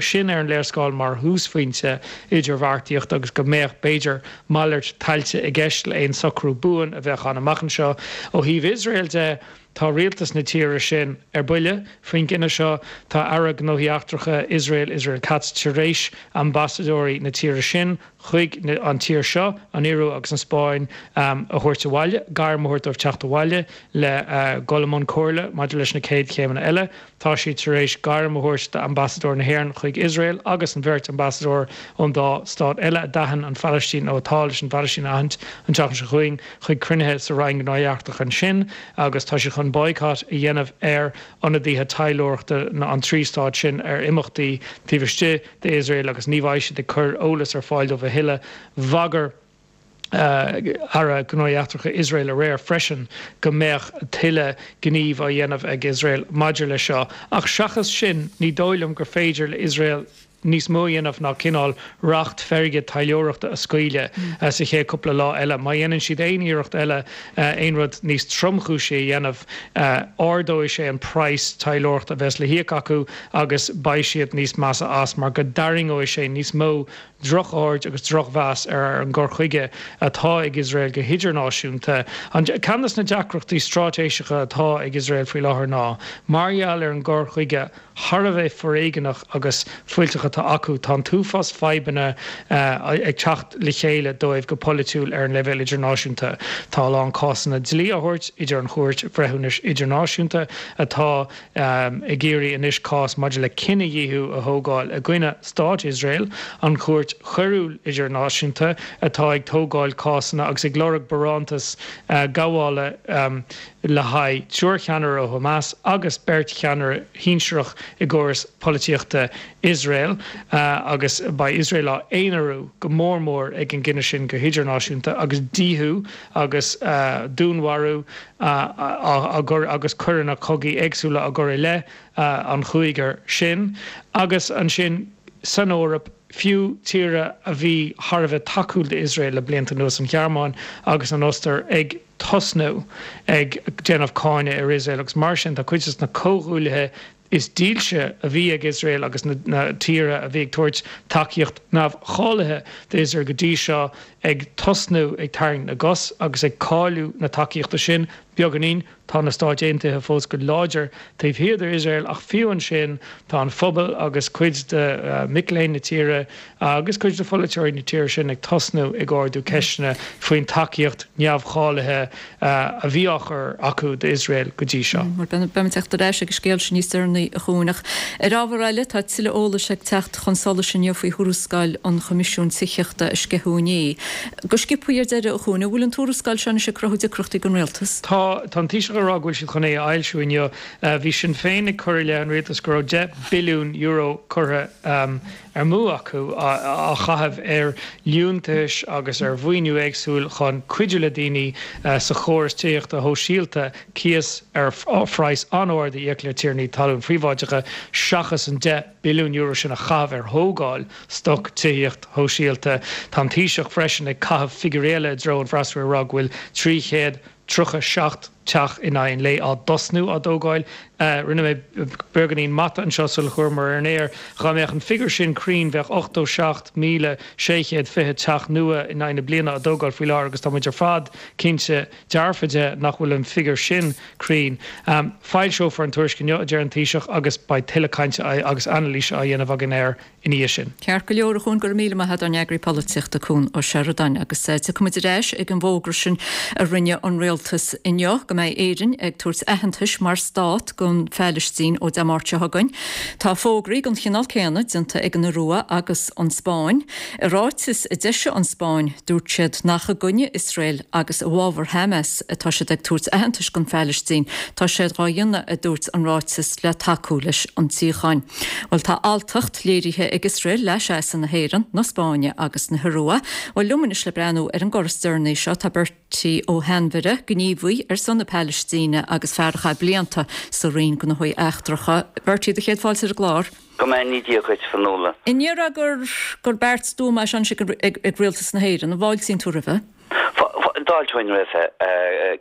sin ar an léarscáil mar thúsphointe idirbheartaíochta agus go mbeadh, b'fhéidir, malairt tailte i gceist le aon socrú buan a bheadh ann amach anseo. Ó thaobh Iosrael de, tá rialtas na tíre sin ar buile faoin gcinneadh seo. Tá Aire Gnóthaí Eachtracha Iosrael, Israel Katz, tar éis ambasadóirí na tíre sin chuig an tír seo, an Iorua agus an Spáinn, a thabhairt abhaile, gairm a thabhairt dóibh teacht abhaile le dhul i mbun comhairle maidir leis na chéad chéimeanna eile. Tá siad tar éis gairm a thabhairt d'ambasadóir na hÉireann chuig Iosrael agus an bheirt ambasadóir ón dá stát eile a d'aithin an Phalaistín nó atá leis an Phalaistín a aithint an tseachtain seo chugainn chuig cruinnithe sa Roinn Gnóthaí Eachtracha ansin agus tá siad chun boycott a dhéanamh ar ionadaithe taidhleoireachta an trí stát sin ar imeachtaí taobh istigh d'Iosrael agus ní bheidh siad ag cur eolas ar fáil dóibh a thuilleadh. Bhagair. Aire Gnóthaí Eachtracha Iosrael aréir freisin go mbeadh tuilleadh gnímh á dhéanamh ag Iosrael maidir leis seo. Ach seachas sin, ní dóigh liom gur féidir le Iosrael níos mó a dhéanamh ná cineál racht feirge taidhleoireachta a scaoileadh sa chéad cúpla lá eile. Má dhéanann siad aon iarracht eile aon rud níos tromchúisí a dhéanamh, ardóidh sé an praghas taidhleoireachta a bheas le híoc acu agus beidh siad níos measa as mar go dtarraingeoidh sé níos mó drochaird agus drochmheas ar an gcur chuige atá ag Iosrael go hidirnáisiúnta. Ceann de na deacrachtaí straitéiseacha atá ag Iosrael faoi láthair ná, mar gheall ar an gcur chuige thar a bheith foréigeanach agus fuilteach atá acu, tá an t-uafás fadhbanna ag teacht le chéile dóibh go polaitiúil ar an leibhéal idirnáisiúnta. Tá a lán cásanna dlí á thabhairt idir an Chúirt Bhreithiúnais Idirnáisiúnta atá ag iarraidh anois cás maidir le cinedhíothú a thógáil i gcoinne Stát Iosrael, an Chúirt Choiriúil Idirnáisiúnta atá ag tógáil cásanna agus ag lorg barántas gabhála le haghaidh triúr cheannaire ó Hamas agus beirt cheannaire shinsearach i gcóras polaitíochta Iosrael agus beidh Iosrael á aonarú go mór mór ag an gcinneadh sin go hidirnáisiúnta agus díothú agus dúnmharú á gcur agus coireanna cogaidh éagsúla á gcur i leith an chúigir sin. Agus ansin san Eoraip, fiú tíortha a bhí thar a bheith tacúil d'Iosrael le blianta anuas, an Ghearmáin agus an Ostair, ag tosnú ag déanamh cáineadh ar Iosrael agus mar sin tá cuid de na comhghuaillithe is dílse a bhí ag Iosrael agus na tíortha a bhí ag tabhairt tacaíocht neamhcháilithe d'Iosrael go dtí seo ag tosnú ag tarraingt na gcos agus ag cailleadh na tacaíochta sin beagáinín. Tá na Stáit Aontaithe fós go láidir taobh thiar d'Iosrael ach fiú ansin tá an phobal agus cuid de mhic léinn na tíre agus cuid de pholaiteoirí na tíre sin ag tosnú ag ardú ceisteanna faoin tacaíocht neamhcháilithe a bhí á chur acu d'Iosrael go dtí seo. Beimid ag teacht ar ais ag an scéal sin níos deireanaí, a Chuain. Ach ar ábhar eile, tá tuilleadh eolais ag teacht chun solais inniu faoi thuarascáil an Choimisiúin Tithíochta a sceitheadh inné. Go sciobtha ar deireadh, a Chuain, an bhfuil an tuarascáil seo anois ag cruthú deacrachtaí don Rialtas? Tá. Tá an Taoiseach ag rá go bhfuil siad chun é a fhoilsiú inniu. Bhí Sinn Féin ag cur i leith an Rialtais go raibh €10 billiún curtha amú acu á chaitheamh ar liúntais agus ar mhaoiniú éagsúil chun cuidiú le daoine sa chóras tithíochta shóisialta cíos ar phraghas an-ard a íoc le tiarnaí talún príobháideacha seachas an €10 billiún sin a chaitheamh ar thógáil stoc tithíocht shóisialta. Tá an Taoiseach freisin ag caitheamh figiúirí eile i dtreo an fhreasúra ag rá go bhfuil 337 teach in aghaidh an lae á dtosnú, á dtógáil. Rinne mé beagáinín mata anseo sular chuamar ar an aer. Dhá mbeadh an figiúr sin cruinn, bheadh 87,620 teach nua in aghaidh na bliana á dtógáil faoi láthair agus tá muid ar fad cinnte dearfa de nach bhfuil an figiúr sin cruinn. Foilseofar an tuairisc inniu, a deir an Taoiseach, agus beidh tuilleadh cainte agus anailíse á dhéanamh againn air ina dhiaidh sin. Ceart go leor, a Chuain, go raibh míle maith agat, ár n-eagraí polaitíochta, Cuan Ó Seireadáin. Agus tiocfaimid ar ais ag an bhfógra sin a rinne an rialtas inniu, go mbeidh Éirinn ag tabhairt aitheantais mar stát don Phailistín ó Dé Máirt seo chugainn. Tá fógraí den chineál céanna déanta ag an Iorua agus an Spáinn. I ráiteas a d'eisigh an Spáinn, dúirt siad nach i gcoinne Iosrael agus i bhfabhar Hamas atá siad ag tabhairt aitheantais don Phailistín. Tá sé dhá dhéanamh, a dúirt an ráiteas, le tacú leis an tsíocháin. Bhuel, tá alltacht léirithe ag Iosrael le seasamh na hÉireann, na Spáinne agus na hIorua. Bhuel, liom anois le breathnú ar an gcor is deireanaí seo, tá beirt. Bertie Ó hAinmhire, gníomhaí ar son na Palaistíne agus fear a chaith blianta sa Roinn Gnóthaí Eachtracha. Bertie, do chéad fáilte ar an gclár. Go mbeannaí Dia dhuit, Fionnuala. An ndéarfá gur gur beart stuama é seo anois ag Rialtas na hÉireann? An bhfáiltíonn tú roimhe? D'fháilteoinn roimhe.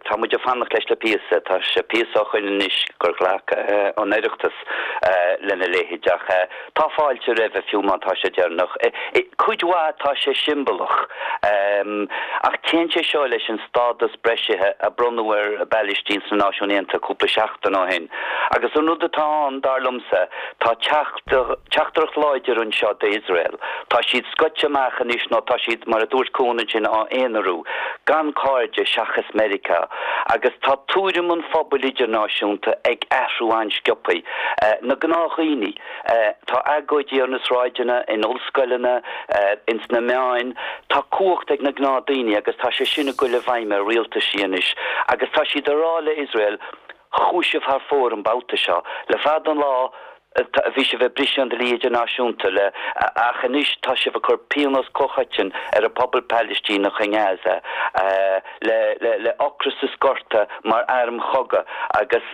Tá muid ag fanacht leis le píosa. Tá sé píosa ó shoin anois gur ghlac an Oireachtas lena leithéid ach tá fáilte roimhe fiú má tá sé deireanach. Cuid mhaith tá sé siombalach ach téann sé seo leis an stádas breisithe a bronnadh ar an bPailistín sna Náisiúin Aontaithe cúpla seachtain ó shin. Agus an rud atá ann, dar liomsa, tá teachtaireacht láidir anseo d'Iosrael. Tá siad scoite amach anois nó tá siad, mar a dúirt Cuan ansin, á aonarú, gan cairde seachas Meiriceá. Agus tá tuairim an phobail idirnáisiúnta ag athrú an-sciobtha. Na gnáthdhaoine, tá agóidí ar na sráideanna, in ollscoileanna, ins na meáin. Tá cumhacht ag na gnáthdhaoine agus tá sé sin ag goil i bhfeidhm ar rialtaisí anois. Agus tá siad ag rá le Iosrael, Chuaigh sibh thar fóir an babhta seo. Le fada an lá bhí sibh ag briseadh an dlí idirnáisiúnta le ach anois tá sibh ag cur pionós comhchoiteann ar an pobal Palaistíneach i nGaza le le ocras is gorta mar airm chogaidh agus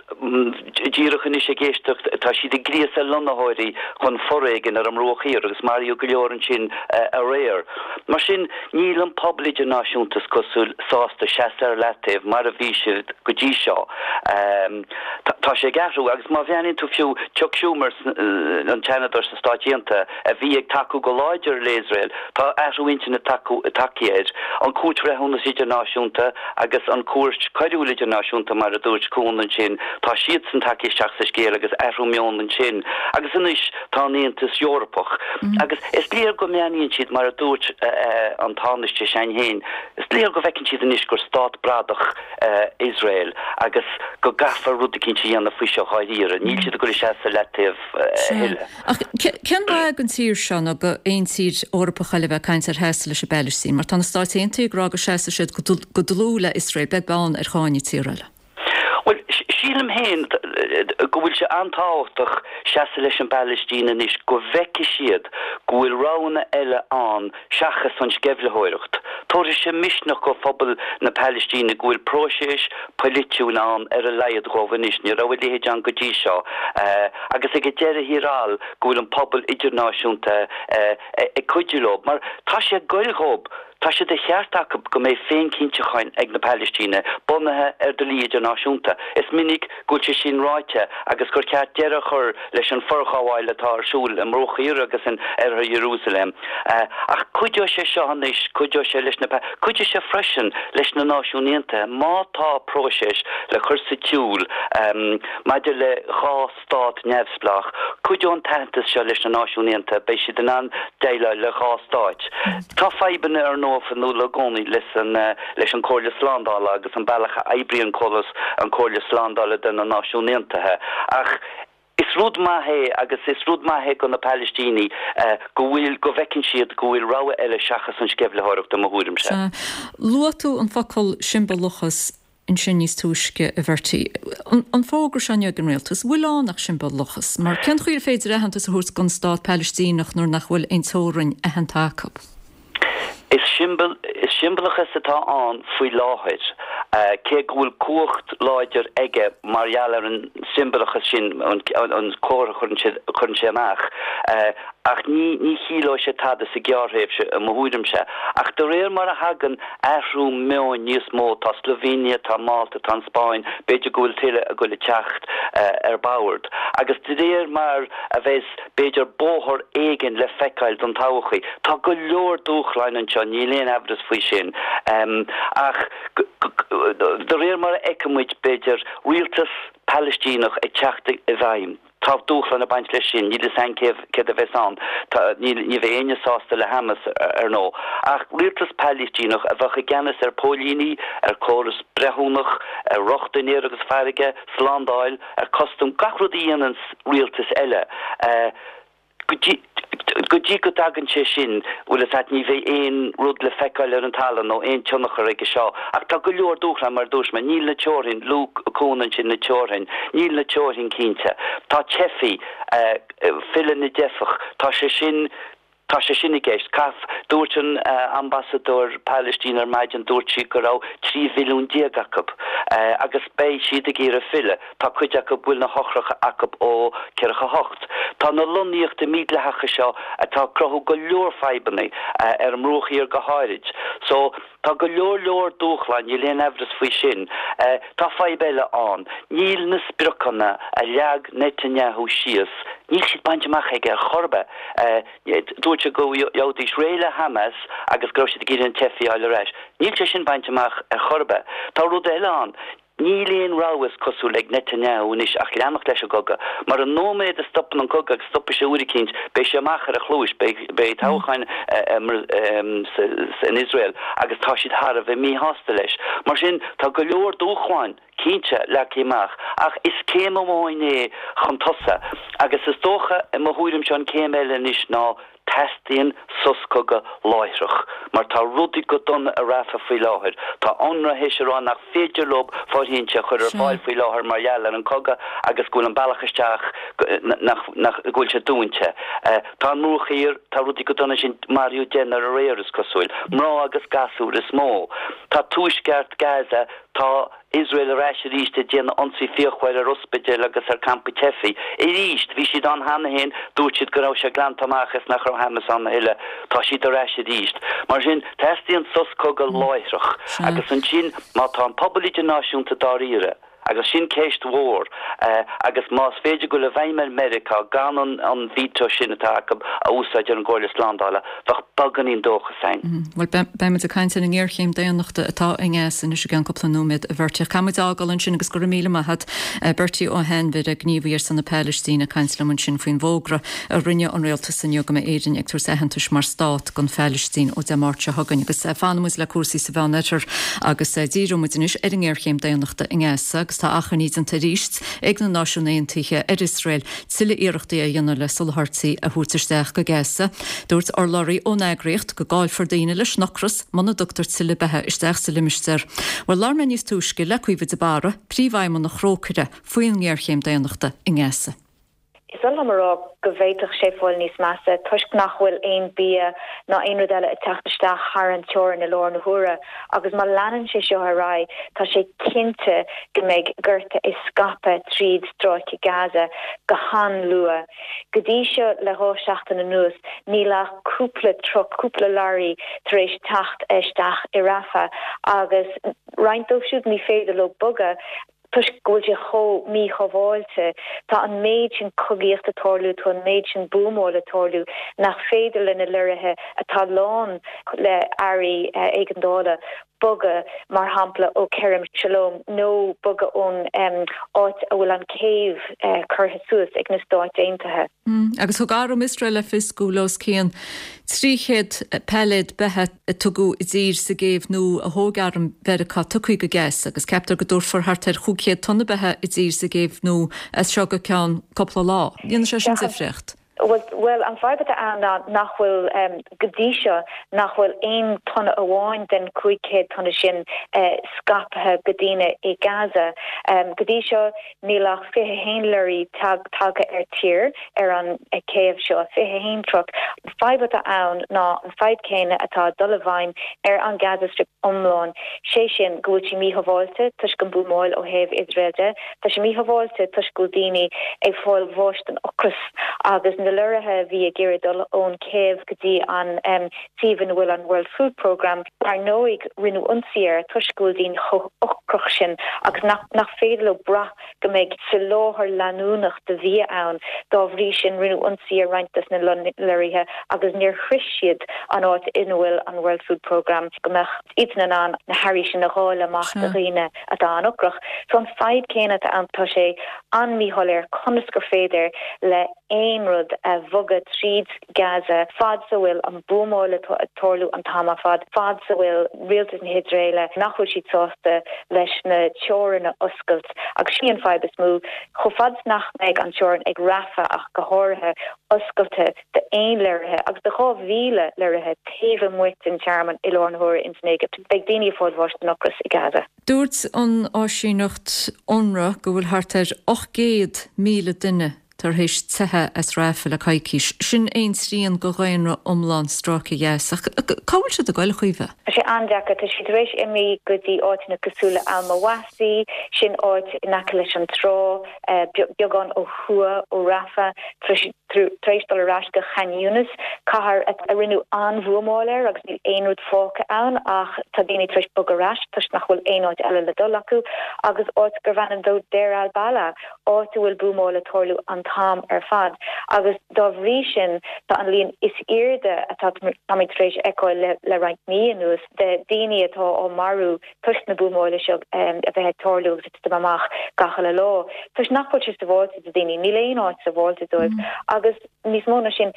díreach anois ag éisteacht tá siad ag gríosadh lonnaitheoirí chun foréigin ar an mBruach Thiar agus maraíodh go leor ansin aréir. Mar sin níl an pobal idirnáisiúnta is cosúil sásta seasamh ar leataobh mar a bhí siad go dtí seo. Tá sé ag athrú agus má bhreathnaíonn tú fiú Chuck Schumer, an Seanadóir sna Stáit Aontaithe a bhí ag tacú go láidir le Iosrael, tá athrú intinne tagtha air. An Chúirt Bhreithiúnas Idirnáisiúnta agus an Chúirt Choiriúil Idirnáisiúnta mar a dúirt Cuan ansin, tá siadsan tagtha isteach sa scéal agus athrú meoin ansin. Agus anois tá an Aontas Eorpach agus is léir go mbreathnaíonn siad mar a dúirt an Tánaiste s'againn féin, is léir go bhfeiceann siad anois gur stát bradach Iosrael agus go gcaithfear rud eicínt a dhéanamh faoi seo dháiríre. Níl siad ag goil ag seasamh ar leataobh a thuilleadh. Ach cén mhaith don tír seo nó do aon tír Eorpach eile a bheith ag caint ar sheasamh leis an bPailistín mar tá na Stáit Aontaithe ag rá go seasfaidh siad go dlúth le Iosrael beag beann ar cháineadh tír eile. Bhuel, sílim féin go bhfuil sé an-tábhachtach seasamh leis an bPailistín anois, go bhfeicfidh siad go bhfuil roghanna eile ann seachas an sceimhlitheoireacht. Tabharfaidh sé misneach go phobal na Palaistíne go bhfuil próiseas poilitiúil ann ar a laghad dhóibh anois, ní raibh a leithéid ann go dtí seo, agus ag an deireadh thiar thall go bhfuil an pobal idirnáisiúnta ag cuidiú leo, mar tá sé ag goil dhóibh. Tá sé de cheart acu go mbeidh féinchinntiúcháin ag na Palaistínigh, bunaithe ar dlí idirnáisiúnta. Is minic go bhfuil sé sin ráite agus gur cheart deireadh a chur leis an forghabháil atá ar siúl i mBruach Thiar agus in Oirthear Iarúsailéim. Ach cuideoidh sé seo anois, cuideoidh sé leis na, cuideoidh sé freisin leis na Náisiúin Aontaithe má tá próiseas le cur sa tsiúl maidir le 2 stát neamhspleách. Cuideoidh an t-aitheantas seo leis na Náisiúin Aontaithe, beidh siad in ann déileáil le 2 stáit. Tá fadhbanna ar ndóigh Fionnuala i gcónaí leis an leis an Comhairle Slándála agus an bealach a oibríonn córas an Comhairle Slándála de na Náisiúin Aontaithe ach is rud maith é agus is rud maith é do na Palaistínigh go bhfuil go bhfeiceann siad go bhfuil rogha eile seachas an sceimhlitheoireacht i mo thuairimse. Sea. Luaigh tú an focal siombalachas ansin níos túisce, a Bhertie. An fógra seo inniu ag an rialtas, an bhfuil ann ach siombalachas? Mar cén chaoi ar féidir aitheantas a thabhairt don stát Palaistíneach nuair nach bhfuil aon teorainn aitheanta acu? Is siombalachas atá ann faoi láthair, cé go bhfuil cumhacht láidir aige mar gheall ar an siombalachas sin, an comhartha a chuireann sé amach. Ach ní chiallóidh sé tada sa ghearrthréimhse, i mo thuairimse. Ach de réir mar a thagann athrú meoin níos mó, tá Slovenia, tá Málta, tá an Spáinn, b'fhéidir go bhfuil tuilleadh ag goil ag teacht ar bord. Agus de réir mar a bheas, b'fhéidir, bóthar éigin le feiceáil don todhchaí. Tá go leor dúshláin anseo, níl aon amhras faoi sin. Ach de réir mar a fheicfidh muid, b'fhéidir, rialtas Palaistíneach ag teacht i bhfeidhm, Tá dúshlán ag baint leis sin, níl fhios a'inn céard a bheas ann. Tá, níl, ní bheidh éinne sásta le Hamas, ar ndóigh. Ach rialtas Palaistíneach a bheadh i gceannas ar póilíní, ar córas breithiúnach, ar rochtain aeir agus farraige, slándáil, ar custam, gach rud a dhéananns rialtas eile. Go dtí, go dtí go dtagann sé sin, bhfuil fhios a'd, ní bheidh aon rud le feiceáil ar an talamh nó aon tionchar aige seo. Ach tá go leor dúshlán, mar a dúirt mé, níl na teorainn, luaigh Cuan ansin na teorainn, níl na teorainn cinnte. Tá teifigh, filleadh na dteifeach, tá sé sin. Tá sé sin i gceist. Caith, dúirt an ambasadóir Palaistín ar maidin, dúirt sí go raibh 13 mhilliún acu agus beidh siad ag iarraidh filleadh. Tá cuid acu bhfuil na heochracha acu ó 48. Tá na lonnaíochtaí mídhleathacha seo atá ag cruthú go leor fadhbanna, ar an mBruach Thiar go háirid. So, tá go leor leor dúshláin, níl aon aimhreas faoi sin. Tá fadhb eile ann. Níl na spriocanna a leag Netanyahu síos, níl siad bainte amach aige ar chor ar bith. Dúirt sé go bhfaighidís réidh le Hamas agus go raibh siad ag iarraidh na teifigh a fháil ar ais. Níl sé sin bainte amach ar chor ar bith. Tá rud eile ann. Níl aon rogha is cosúil ag Netanyahu anois ach leanacht leis an gcogadh. Mar an nóiméad a stopann an cogadh, agus stopfaidh sé uair eicínt, beidh sé amach ar a chluais, beidh toghcháin in Iosrael agus tá siad thar a bheith míshásta leis. Mar sin, tá go leor dúshláin. cinnte, leagtha amach, ach is céim amháin é chun tosaigh, agus is dócha, i mo thuairimse, an céim eile anois ná teastaíonn sos cogaidh láithreach, mar tá rudaí go dona i Rafah faoi láthair. Tá UNRWA théis a rá nach féidir leo fóirithintí a chur ar fáil faoi láthair mar gheall ar an cogadh agus go bhfuil an bealach isteach, nach, nach, go bhfuil sé dúnta. Tá an Bruach Thiar, tá rudaí go dona ansin, maraíodh deichniúr aréir is cosúil, mná agus gasúir is mó. Tá tuaisceart Gaza, Tá Iosrael ar ais arís ag déanamh ionsaí fíochmhar ar ospidéil agus ar campaí teifigh. Arís! Bhí siad ann cheana féin, dúirt siad go raibh sé glanta amach is nach raibh Hamas ann a thuilleadh. Tá siad ar ais arís. Mar sin, teastaíonn sos cogaidh láithreach. Agus ansin, má tá an pobal idirnáisiúnta dáiríre, agus sin ceist mhór, agus más féidir dul i bhfeidhm ar Meiriceá gan an veto sin atá acu a úsáid ar an gComhairle Slándála, bheadh beagáinín dóchais ann. Bhuel, beidh muid ag caint ar an ngéarchéim daonnachta atá i nGaza anois i gceann cúpla nóiméad, a Bhertie. Ach caithfidh muid a fhágáil ansin agus go raibh míle maith agat, Bertie Ó hAinmhire, gníomhaí ar son na Palaistíne, ag caint liom ansin faoin bhfógra a rinne an rialtas inniu go mbeidh Éirinn ag tabhairt aitheantais mar stát don Phalaistín ó Dé Máirt seo chugainn. Agus fanfaidh muid le cúrsaí sa Mheánoirthear agus díreoidh muid anois ar an ngéarchéim daonnachta i nGaza agus tá achainí déanta arís ag na Náisiúin Aontaithe ar Iosrael tuilleadh iarrachtaí a dhéanamh le soláthairtí a thabhairt isteach go Gaza. Dúirt urlabhraí ón eagraíocht go gcaillfear daoine leis an ocras muna dtugtar tuilleadh beatha isteach sa limistéar. Bhuel, labhair mé níos túisce le Caoimhe de Barra, Príomhfheidhmeannach Thrócaire, faoin ngéarchéim daonnachta i nGaza. Is oth liom a rá go bhféadfadh sé fáil níos measa toisc nach bhfuil aon bia ná aon rud eile ag teacht isteach thar an teorainn i láthair na huaire agus má leanann sé seo ar aghaidh tá sé cinnte go mbeidh gorta ag scaipeadh tríd stráice Gaza go han-luath. Go dtí seo le 2 seachtain anuas níl ach cúpla truck, cúpla lorry tar éis teacht isteach i Rafah agus roinnt dóibh siúd ní féidir leo bogadh toisc go bhfuil sé chomh míshábháilte. Tá an méid sin cogaíocht ag tarlú, tá an méid sin buamáil ag tarlú nach féidir le na lorraithe atá lán le earraí éigeandála bogadh, mar shampla, ó Kerem Shalom nó bogadh ón áit a bhfuil an céibh curtha suas ag na Stáit Aontaithe. Agus thug arm Iosrael le fios go bhfuil os cionn 300 pailléad beatha a tugadh i dtír sa gcéibh nua a thóg arm Mheiriceá tugtha go Gaza agus ceaptar go dtabharfar thart ar 500 tonna beatha i dtír sa gcéibh nua as seo go ceann cúpla lá. Dhéanfaidh sé sin difríocht. Bhuel, an fadhb atá ann ná nach bhfuil, go dtí seo, nach bhfuil aon tonna amháin den 500 tonna sin scaipthe go daoine i Gaza. Go dtí seo, Níl ach 21 lorry tagtha ar tír ar an céibh seo, 21 truck. An fadhb atá ann ná an fadhb céanna atá ag dul i bhfeidhm ar an Gaza Strip iomlán, sé sin go bhfuil sé míshábháilte toisc an buamáil ó thaobh Iosrael de. Tá sé míshábháilte toisc go bhfuil daoine ag fáil bháis den ocras agus na lorraithe a bhí ag iarraidh dul ón céibh go dtí an suíomh ina bhfuil an World Food Programme. Dar ndóigh, rinneadh ionsaí air toisc go bhfuil daoine chomh hocrach sin agus nach nach féidir leo brath go mbeidh soláthar leanúnach de bhia ann. Dá bhrí sin, rinneadh ionsaí ar roinnt des na lorraithe agus níor shroich siad an áit ina bhfuil an World Food Programme go mbeadh iadsan in ann na hearraí sin a dháileadh amach do dhaoine atá an-ocrach. So an fadhb céanna atá ann, tá sé an-mhíshoiléir conas gur féidir le aon rud a bhogadh tríd Gaza fad 's a bhfuil an buamáil ag tarlú an t-am ar fad, fad 's a bhfuil rialtas na hIosraeile, nach bhfuil siad sásta leis na teorainn a oscailt. Agus sin í an fadhb is mó, chomh fad 's nach mbeidh an teorainn ag Rafah ach go háirithe, oscailte d'aon lorraithe agus do 2,000 lorraithe taobh amuigh den tearmann i láthair na huaire ins an Éigipt, beidh daoine ag fáil bháis den ocras i Gaza. Dúirt an áisíneacht UNRWA go bhfuil thart ar 800,000 duine. Tar éis teitheadh as Rafah le coicís. Sin aon trian de dhaonra iomlán Stráice Ghaza. Ach cá bhfuil siad ag goil, a Chaoimhe? Tá sé an-deacair. Tá siad tar éis imí go dtí áiteanna cosúil le Al-Mawasi, sin áit in aice leis an trá, beagán ó thuaidh ó Rafah. Tá siad tar éis dul ar ais go Khan Younis, cathair a rinneadh an-bhuamáil air agus níl aon rud fágtha ann ach tá daoine tar éis bogadh ar ais toisc nach bhfuil aon áit eile le dul acu, agus áit gurbh ainm dó Deir al-Balah. áit a bhfuil buamáil ag tarlú an t-am ar fad agus dá bhrí sin tá an líon is airde atá táimid tar éis fheiceáil le roinnt mí anuas de daoine atá á marú toisc na buamála seo a bheith ag tarlú agus ag titim amach gach uile lá. Toisc nach bhfuil sé sabháilte do daoine, níl aon áit sabháilte dóibh agus níos mó ná sin,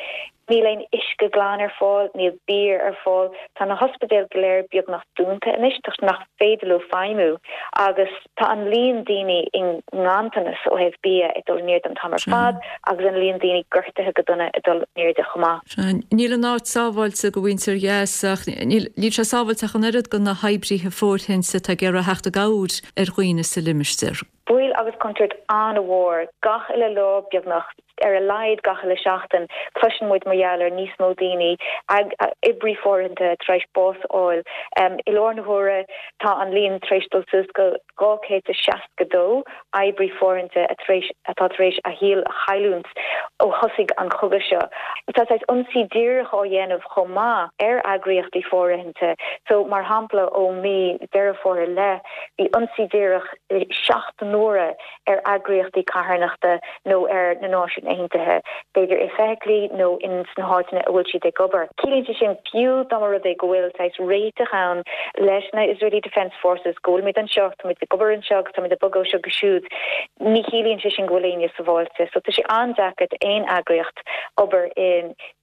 Níl aon uisce glan ar fáil, níl bia ar fáil, tá na hospidéil go léir beagnach dúnta anois toisc nach féidir leo feidhmiú agus tá an líon daoine i nganntanas ó thaobh bia ag dul in airde an t-am ar fad agus an líon daoine gortaithe go dona ag dul in airde chomh maith. Níl an áit sábháilte do mhuintir Ghaza ach níl sé sábháilte ach an oiread do na hoibrithe fóirithinte atá ag iarraidh theacht i gcabhair ar dhaoine sa limistéar. Baol agus contúirt an-mhór gach uile lá beagnach, ar a laghad gach uile seachtain, cloiseann muid mar gheall ar níos mó daoine, oibrí fóirithinte, tar éis bás a fháil. I lár na huaire tá an líon tar éis dul suas go 262 oibrí fóirithinte atá tar éis a shaol a chailliúint ó thosaigh an cogadh seo. Tá saghas ionsaí díreach á dhéanamh chomh maith ar eagraíochtaí fóirithinte. So, mar shampla, ó mí Deireadh Fómhair i leith, bhí ionsaí díreach 7 n-uaire ar eagraíochtaí carthanachta nó ar na Náisiúin Aontaithe, b'fhéidir i feithiclí nó in sna háiteanna a bhfuil siad ag obair. Ciallaíonn sé sin, fiú dá mba rud é go bhfuil saghas réiteach ann leis na Israeli Defence Forces, go bhfuilimid anseo, táimid ag obair anseo agus táimid ag bogadh ó seo go siúd, ní chiallaíonn sé sin go bhfuil éinne sabháilte. So tá sé an-deacair d'aon eagraíocht obair i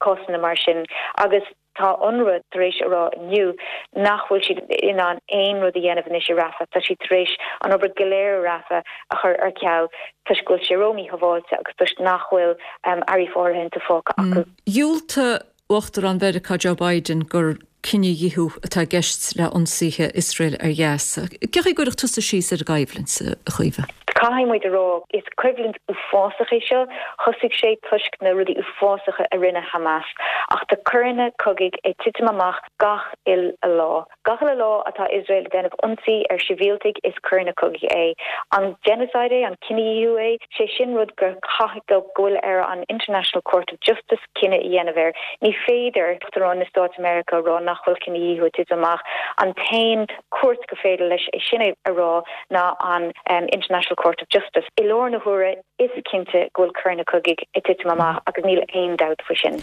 cásanna mar sin agus. Tá Unrwa tar éis a rá inniu nach bhfuil siad in ann aon rud a dhéanamh anois i Rafah. Tá siad tar éis an obair go léir i Rafah a chur ar ceal toisc go bhfuil sé ró-mhíshábháilte agus toisc nach bhfuil earraí fóirithinte fágtha acu. Dhiúltaigh Uachtarán Mheiriceá Joe Biden gur cinedhíothú atá i gceist le ionsaithe Iosrael ar Ghaza. Cén chaoi a gcuirfeadh tusa síos ar an gcoimhlint, a Chaoimhe? Caithfidh muid a rá, is coimhlint uafásach é seo. Thosaigh sé toisc na rudaí uafásacha a rinne Hamas, ach tá coireanna cogaidh ag titim amach gach uile lá. Gach uile lá atá Iosrael ag déanamh ionsaí ar shibhialtaigh, is coireanna cogaidh é. An genocide é? An cinedhíothú é? Sé sin rud gur caithfidh, go bhfuil ar an International Court of Justice cinneadh a dhéanamh air. Ní féidir Uachtarán na Stáit Meiriceá a rá nach bhfuil cinedhíothú ag titim amach. An t-aon chúirt go féidir leis é sin a rá ná an International Court of Justice. I lár na huaire, is cinnte go bhfuil coireanna cogaidh ag titim amach agus níl aon dabht faoi sin.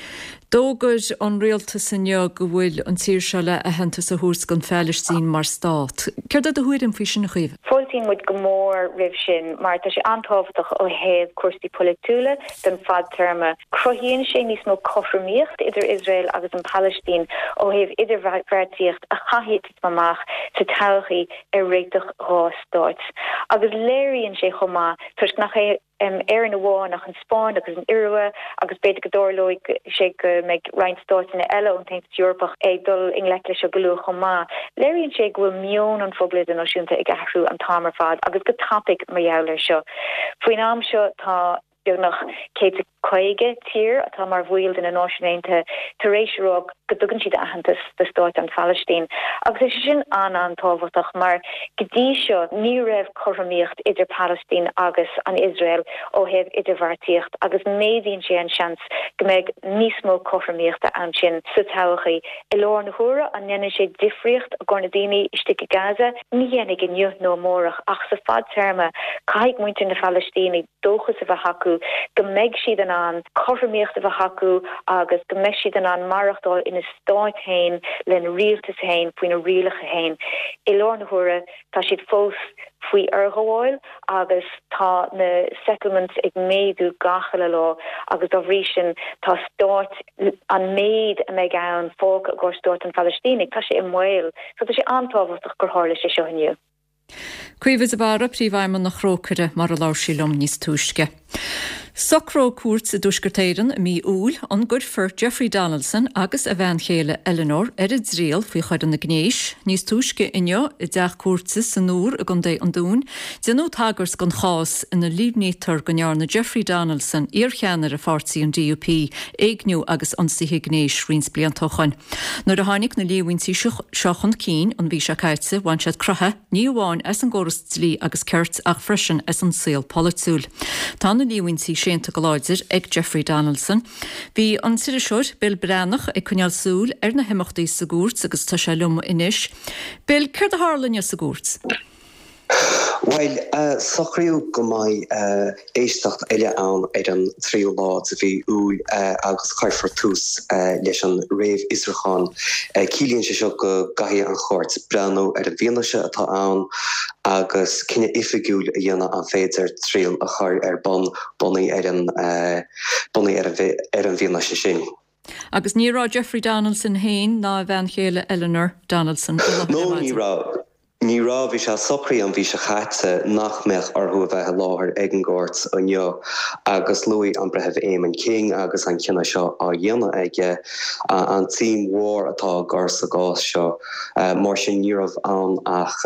D'fhógair an rialtas inniu go bhfuil an tír seo le aitheantas a thabhairt don Phalaistín mar stát. Céard é do thuairim faoi sin, a Chaoimhe? Fáiltíonn muid go mór roimh sin mar tá sé an-tábhachtach ó thaobh cúrsaí polaitiúla don fadtéarma. Cruthaíonn sé níos mó cothromaíocht idir Iosrael agus an Phalaistín ó thaobh idirbheartaíocht a chaithfidh titim amach sa todhchaí ar réiteach dha stáit. Agus léiríonn sé chomh maith, toisc nach é Éirinn amháin ach an Spáinn agus an Iorua agus b'fhéidir go dtarlóidh sé go mbeidh roinnt stáiteanna eile ón tAontas Eorpach ag dul i ngleic leis seo go luath chomh maith. Léiríonn sé go bhfuil meon an phobail idirnáisiúnta ag athrú an t-am ar fad agus go tapaidh mar gheall air seo. Faoin am seo tá. Beagnach 150 tír atá mar bhaill de na Náisiúin Aontaithe tar éis a rá go dtugann siad aitheantas do stáit an Phalaistín. Agus tá sé sin an-an-tábhachtach mar go dtí seo ní raibh cothromaíocht idir Palaistín agus an Iosrael ó thaobh idirbheartaíocht agus méadaíonn sé an seans go mbeidh níos mó cothromaíochta ansin sa todhchaí. I lár na huaire, an ndéanann sé difríocht i gcomhair na daoine istigh i Gaza? Ní dhéanfaidh inniu nó amárach ach sa fadtéarma caithfidh muintir na Phalaistíne dóchas a bheith acu go mbeidh siad in ann cothromaíocht a bheith acu agus go mbeidh siad in ann maireachtáil ina stáit féin lena rialtas féin faoina rialacha féin. I lár na huaire tá siad fós faoi fhorghabháil agus tá na settlements ag méadú gach uile lá agus dá bhrí sin tá stáit an méid a mbeidh ann fágtha i gcomhair stáit an Phalaistínigh tá sé i mbaol. So tá sé an-tábhachtach gur tharla sé seo inniu. Caoimhe de Barra, Príomhfheidhmeannach Thrócaire, mar a labhair sí liom níos túisce. Socróidh cúirt i dTuaisceart Éireann i mí Iúil an gcuirfear Jeffrey Donaldson agus a bhean chéile Eleanor ar a dtriail faoi choireanna gnéis. Níos túisce inniu i dteach cúirte san Iúr i gContae an Dúin, déanadh tagairt don chás ina líomhnaítear go ndearna Jeffrey Donaldson, iarcheannaire pháirtí an DUP, éigniú agus ionsaithe gnéis roinnt blianta ó shoin. Nuair a tháinig na líomhaintí seo chun cinn an mhí seo caite, bhain siad croitheadh, ní amháin as an gcóras dlí agus cirt ach freisin as an saol polaitiúil. Tá na líomhaintí séanta go láidir ag Jeffrey Donaldson. Bhí an t-iriseoir Bill Breathnach ag coinneáil súil ar na himeachtaí sa gcúirt agus tá sé liom anois. Bill, céard a tharla inniu sa gcúirt? Bhuel, socraíodh go mbeidh éisteacht eile ann ar an tríú lá de mhí Iúil agus cuirfear tús leis an réamhfhiosrúchán. Ciallaíonn sé seo go gcaithfidh an chúirt breathnú ar an bhfianaise atá ann agus cinneadh oifigiúil a dhéanamh an féidir triail a chur ar bun bunaithe ar an bunaithe ar an bhfianaise sin. Agus ní raibh Jeffrey Donaldson féin ná a bhean chéile Eleanor Donaldson i láthair ar maidin. No, ní raibh. Ní raibh. Bhí sé socraithe an mhí seo chaite nach mbeadh orthu a bheith i láthair ag an gcúirt inniu agus luaigh an Breitheamh Eamon King agus an cinneadh seo á dhéanamh aige, an tsuim mhór atá á gcur sa gcás seo. Mar sin ní raibh ann ach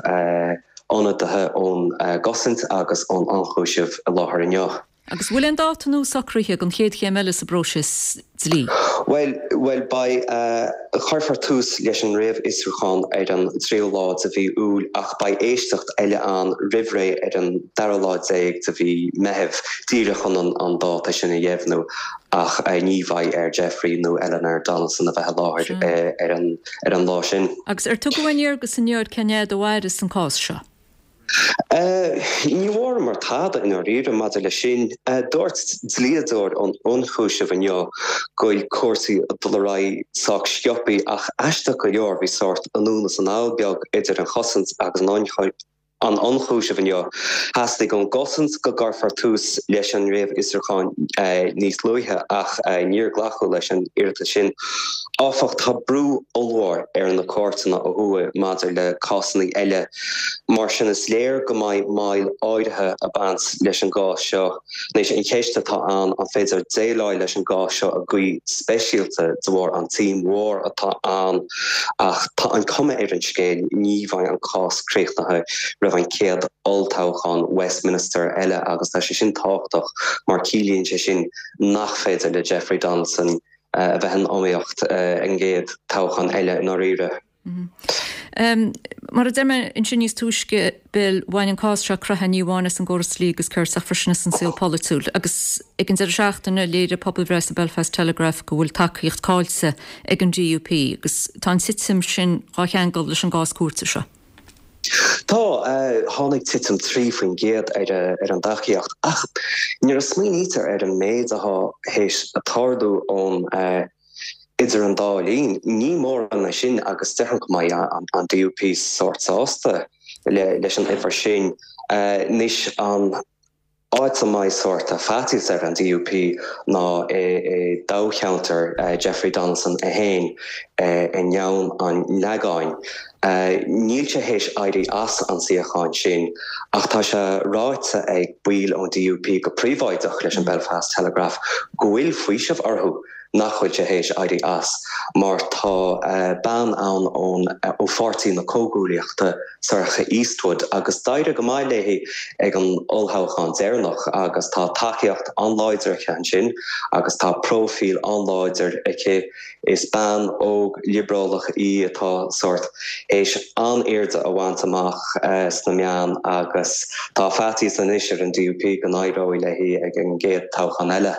ionadaithe ón gcosaint agus ón ionchúiseamh i láthair inniu. Agus bhfuil aon dáta nua socraithe don chéad chéim eile sa bpróiseas dlí? Bhuel, bhuel, beidh, cuirfear tús leis an réamhfhiosrúchán ar an tríú lá de mhí Iúil ach beidh éisteacht eile ann roimh ré ar an dara lá déag de mhí Meithimh, díreach chun an dáta sin a dheimhniú ach ní bheidh ar Jeffrey nó Eleanor Donaldson a bheith i láthair ar an, ar an lá sin. Agus ar tugadh aon léargas inniu ar cén fhad a mhairfeas an cás seo? Ní bhfuaireamar tada i ndáiríre maidir leis sin. Dúirt dlíodóir an ionchúisimh inniu go bhfuil cúrsaí ag dul ar aghaidh sách sciobtha ach aisteach go leor bhí sórt anonn is anall beag idir an chosaint agus an t-ionchúiseamh inniu. Theastaigh ón gcosaint go gcuirfear tús leis an réamhfhiosrúchán níos luaithe ach níor glacadh leis an iarratas sin. Áfach, tá brú ollmhór ar na cúirteanna ó thuaidh maidir le cásanna eile. Mar sin, is léir go mbeidh moill áirithe ag baint leis an gcás seo. Anois, an cheist atá ann, an féidir déileáil leis an gcás seo i gcaoi speisialta de bharr an tsuim mhór atá ann? Ach tá an cuma ar an scéal, ní bheidh an cás críochnaithe roimh an chéad olltoghchán Westminster eile agus tá sé sin tábhachtach mar ciallaíonn sé sin nach féidir le Jeffrey Donaldson a bheith in iomaíocht ag an gcéad toghchán eile i ndáiríre. Mar a deir mé ansin níos túisce, Bill, bhain an cás seo croitheadh ní amháin as an gcóras dlí agus cirt ach freisin as an saol polaitiúil. Agus ag an deireadh seachtaine, léirigh pobalbhreith sa Belfast Telegraph go bhfuil tacaíocht caillte ag an DUP agus tá an titim sin dhá cheangal leis an gcás cúirte seo. Tá. Tháinig titim 3% ar an dtacaíocht ach nuair a smaoinítear ar an méid atá théis tarlú ón idir an dá linn, ní mórán é sin agus déarfainn go mbeidh an DUP sórt sásta leis an uimhir sin. Anois an. Áit a mbeidh sórt faitíos ar an DUP ná i dtoghcheantar Jeffrey Donaldson é féin i nGleann an Leagáin. Níl sé théis éirí as an suíochán sin ach tá sé ráite ag baill ón DUP go príobháideach leis an Belfast Telegraph go bhfuil faoiseamh orthu nach bhfuil sé théis éirí as mar tá bean ann ón ó Pháirtí na Comhghuaillíochta, Sorcha Eastwood, agus d'éirigh go maith léi ag an olltoghchán deireanach agus tá tacaíocht an-láidir aici ansin agus tá próifíl an-láidir aici. Is bean óg liobrálach í atá sórt théis an-airde a bhaint amach sna meáin agus tá faitíos anois ar an DUP go n-éireoidh léi ag an gcéad toghchán eile.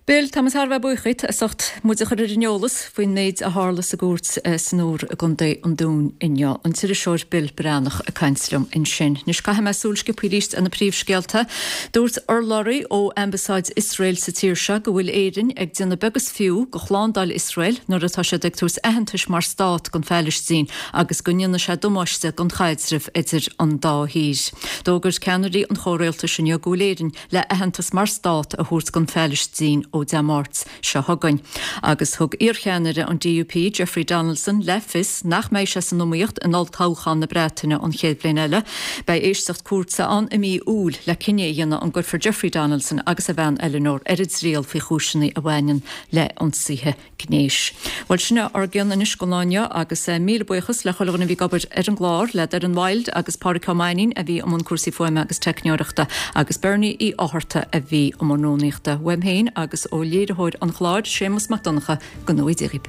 Bill, tá muid thar a bheith buíoch díot as ucht muid a chur ar an eolas faoin méid a tharla sa gcúirt san Iúr i gContae an Dúin inniu. An t-iriseoir Bill Breathnach ag caint liom ansin. Anois caithfidh mé súil sciobtha arís ar na príomhscéalta. Dúirt urlabhraí ó Ambasáid Iosrael sa tír seo go bhfuil Éirinn ag déanamh beag is fiú de shlándáil Iosrael nuair atá siad ag tabhairt aitheantais mar stát don Phailistín agus go ndéanfaidh sé damáiste don chaidreamh idir an dá thír. D'fhógair ceannairí an chomhrialtais inniu go bhfuil Éirinn le aitheantas mar stát a thabhairt don Phailistín. ó Dé Máirt seo chugainn. Agus thug iarcheannaire an DUP, Jeffrey Donaldson, le fios nach mbeidh sé san iomaíocht in olltoghchán na Breataine an chéad bhliain eile. Beidh éisteacht cúirte ann i mí Iúil le cinneadh a dhéanamh an gcuirfear Jeffrey Donaldson agus a bhean Eleanor ar a dtriail faoi chúiseanna a bhaineann le hionsaithe gnéis. Bhuel, sin é ár gcion anois don lá inniu agus míle buíochas le chuile dhuine a bhí ag obair ar an gclár, le Doireann Wilde agus Pádraic Ó Mainnín a bhí i mbun cúrsaí fuaime agus teicneoireachta agus Bernie Uí Fhátharta a bhí i mbun rúnaíochta. Uaim féin agus ó léiritheoir an chláir, Séamus Mac Donncha, go ngnóthaí Dia dhaoibh.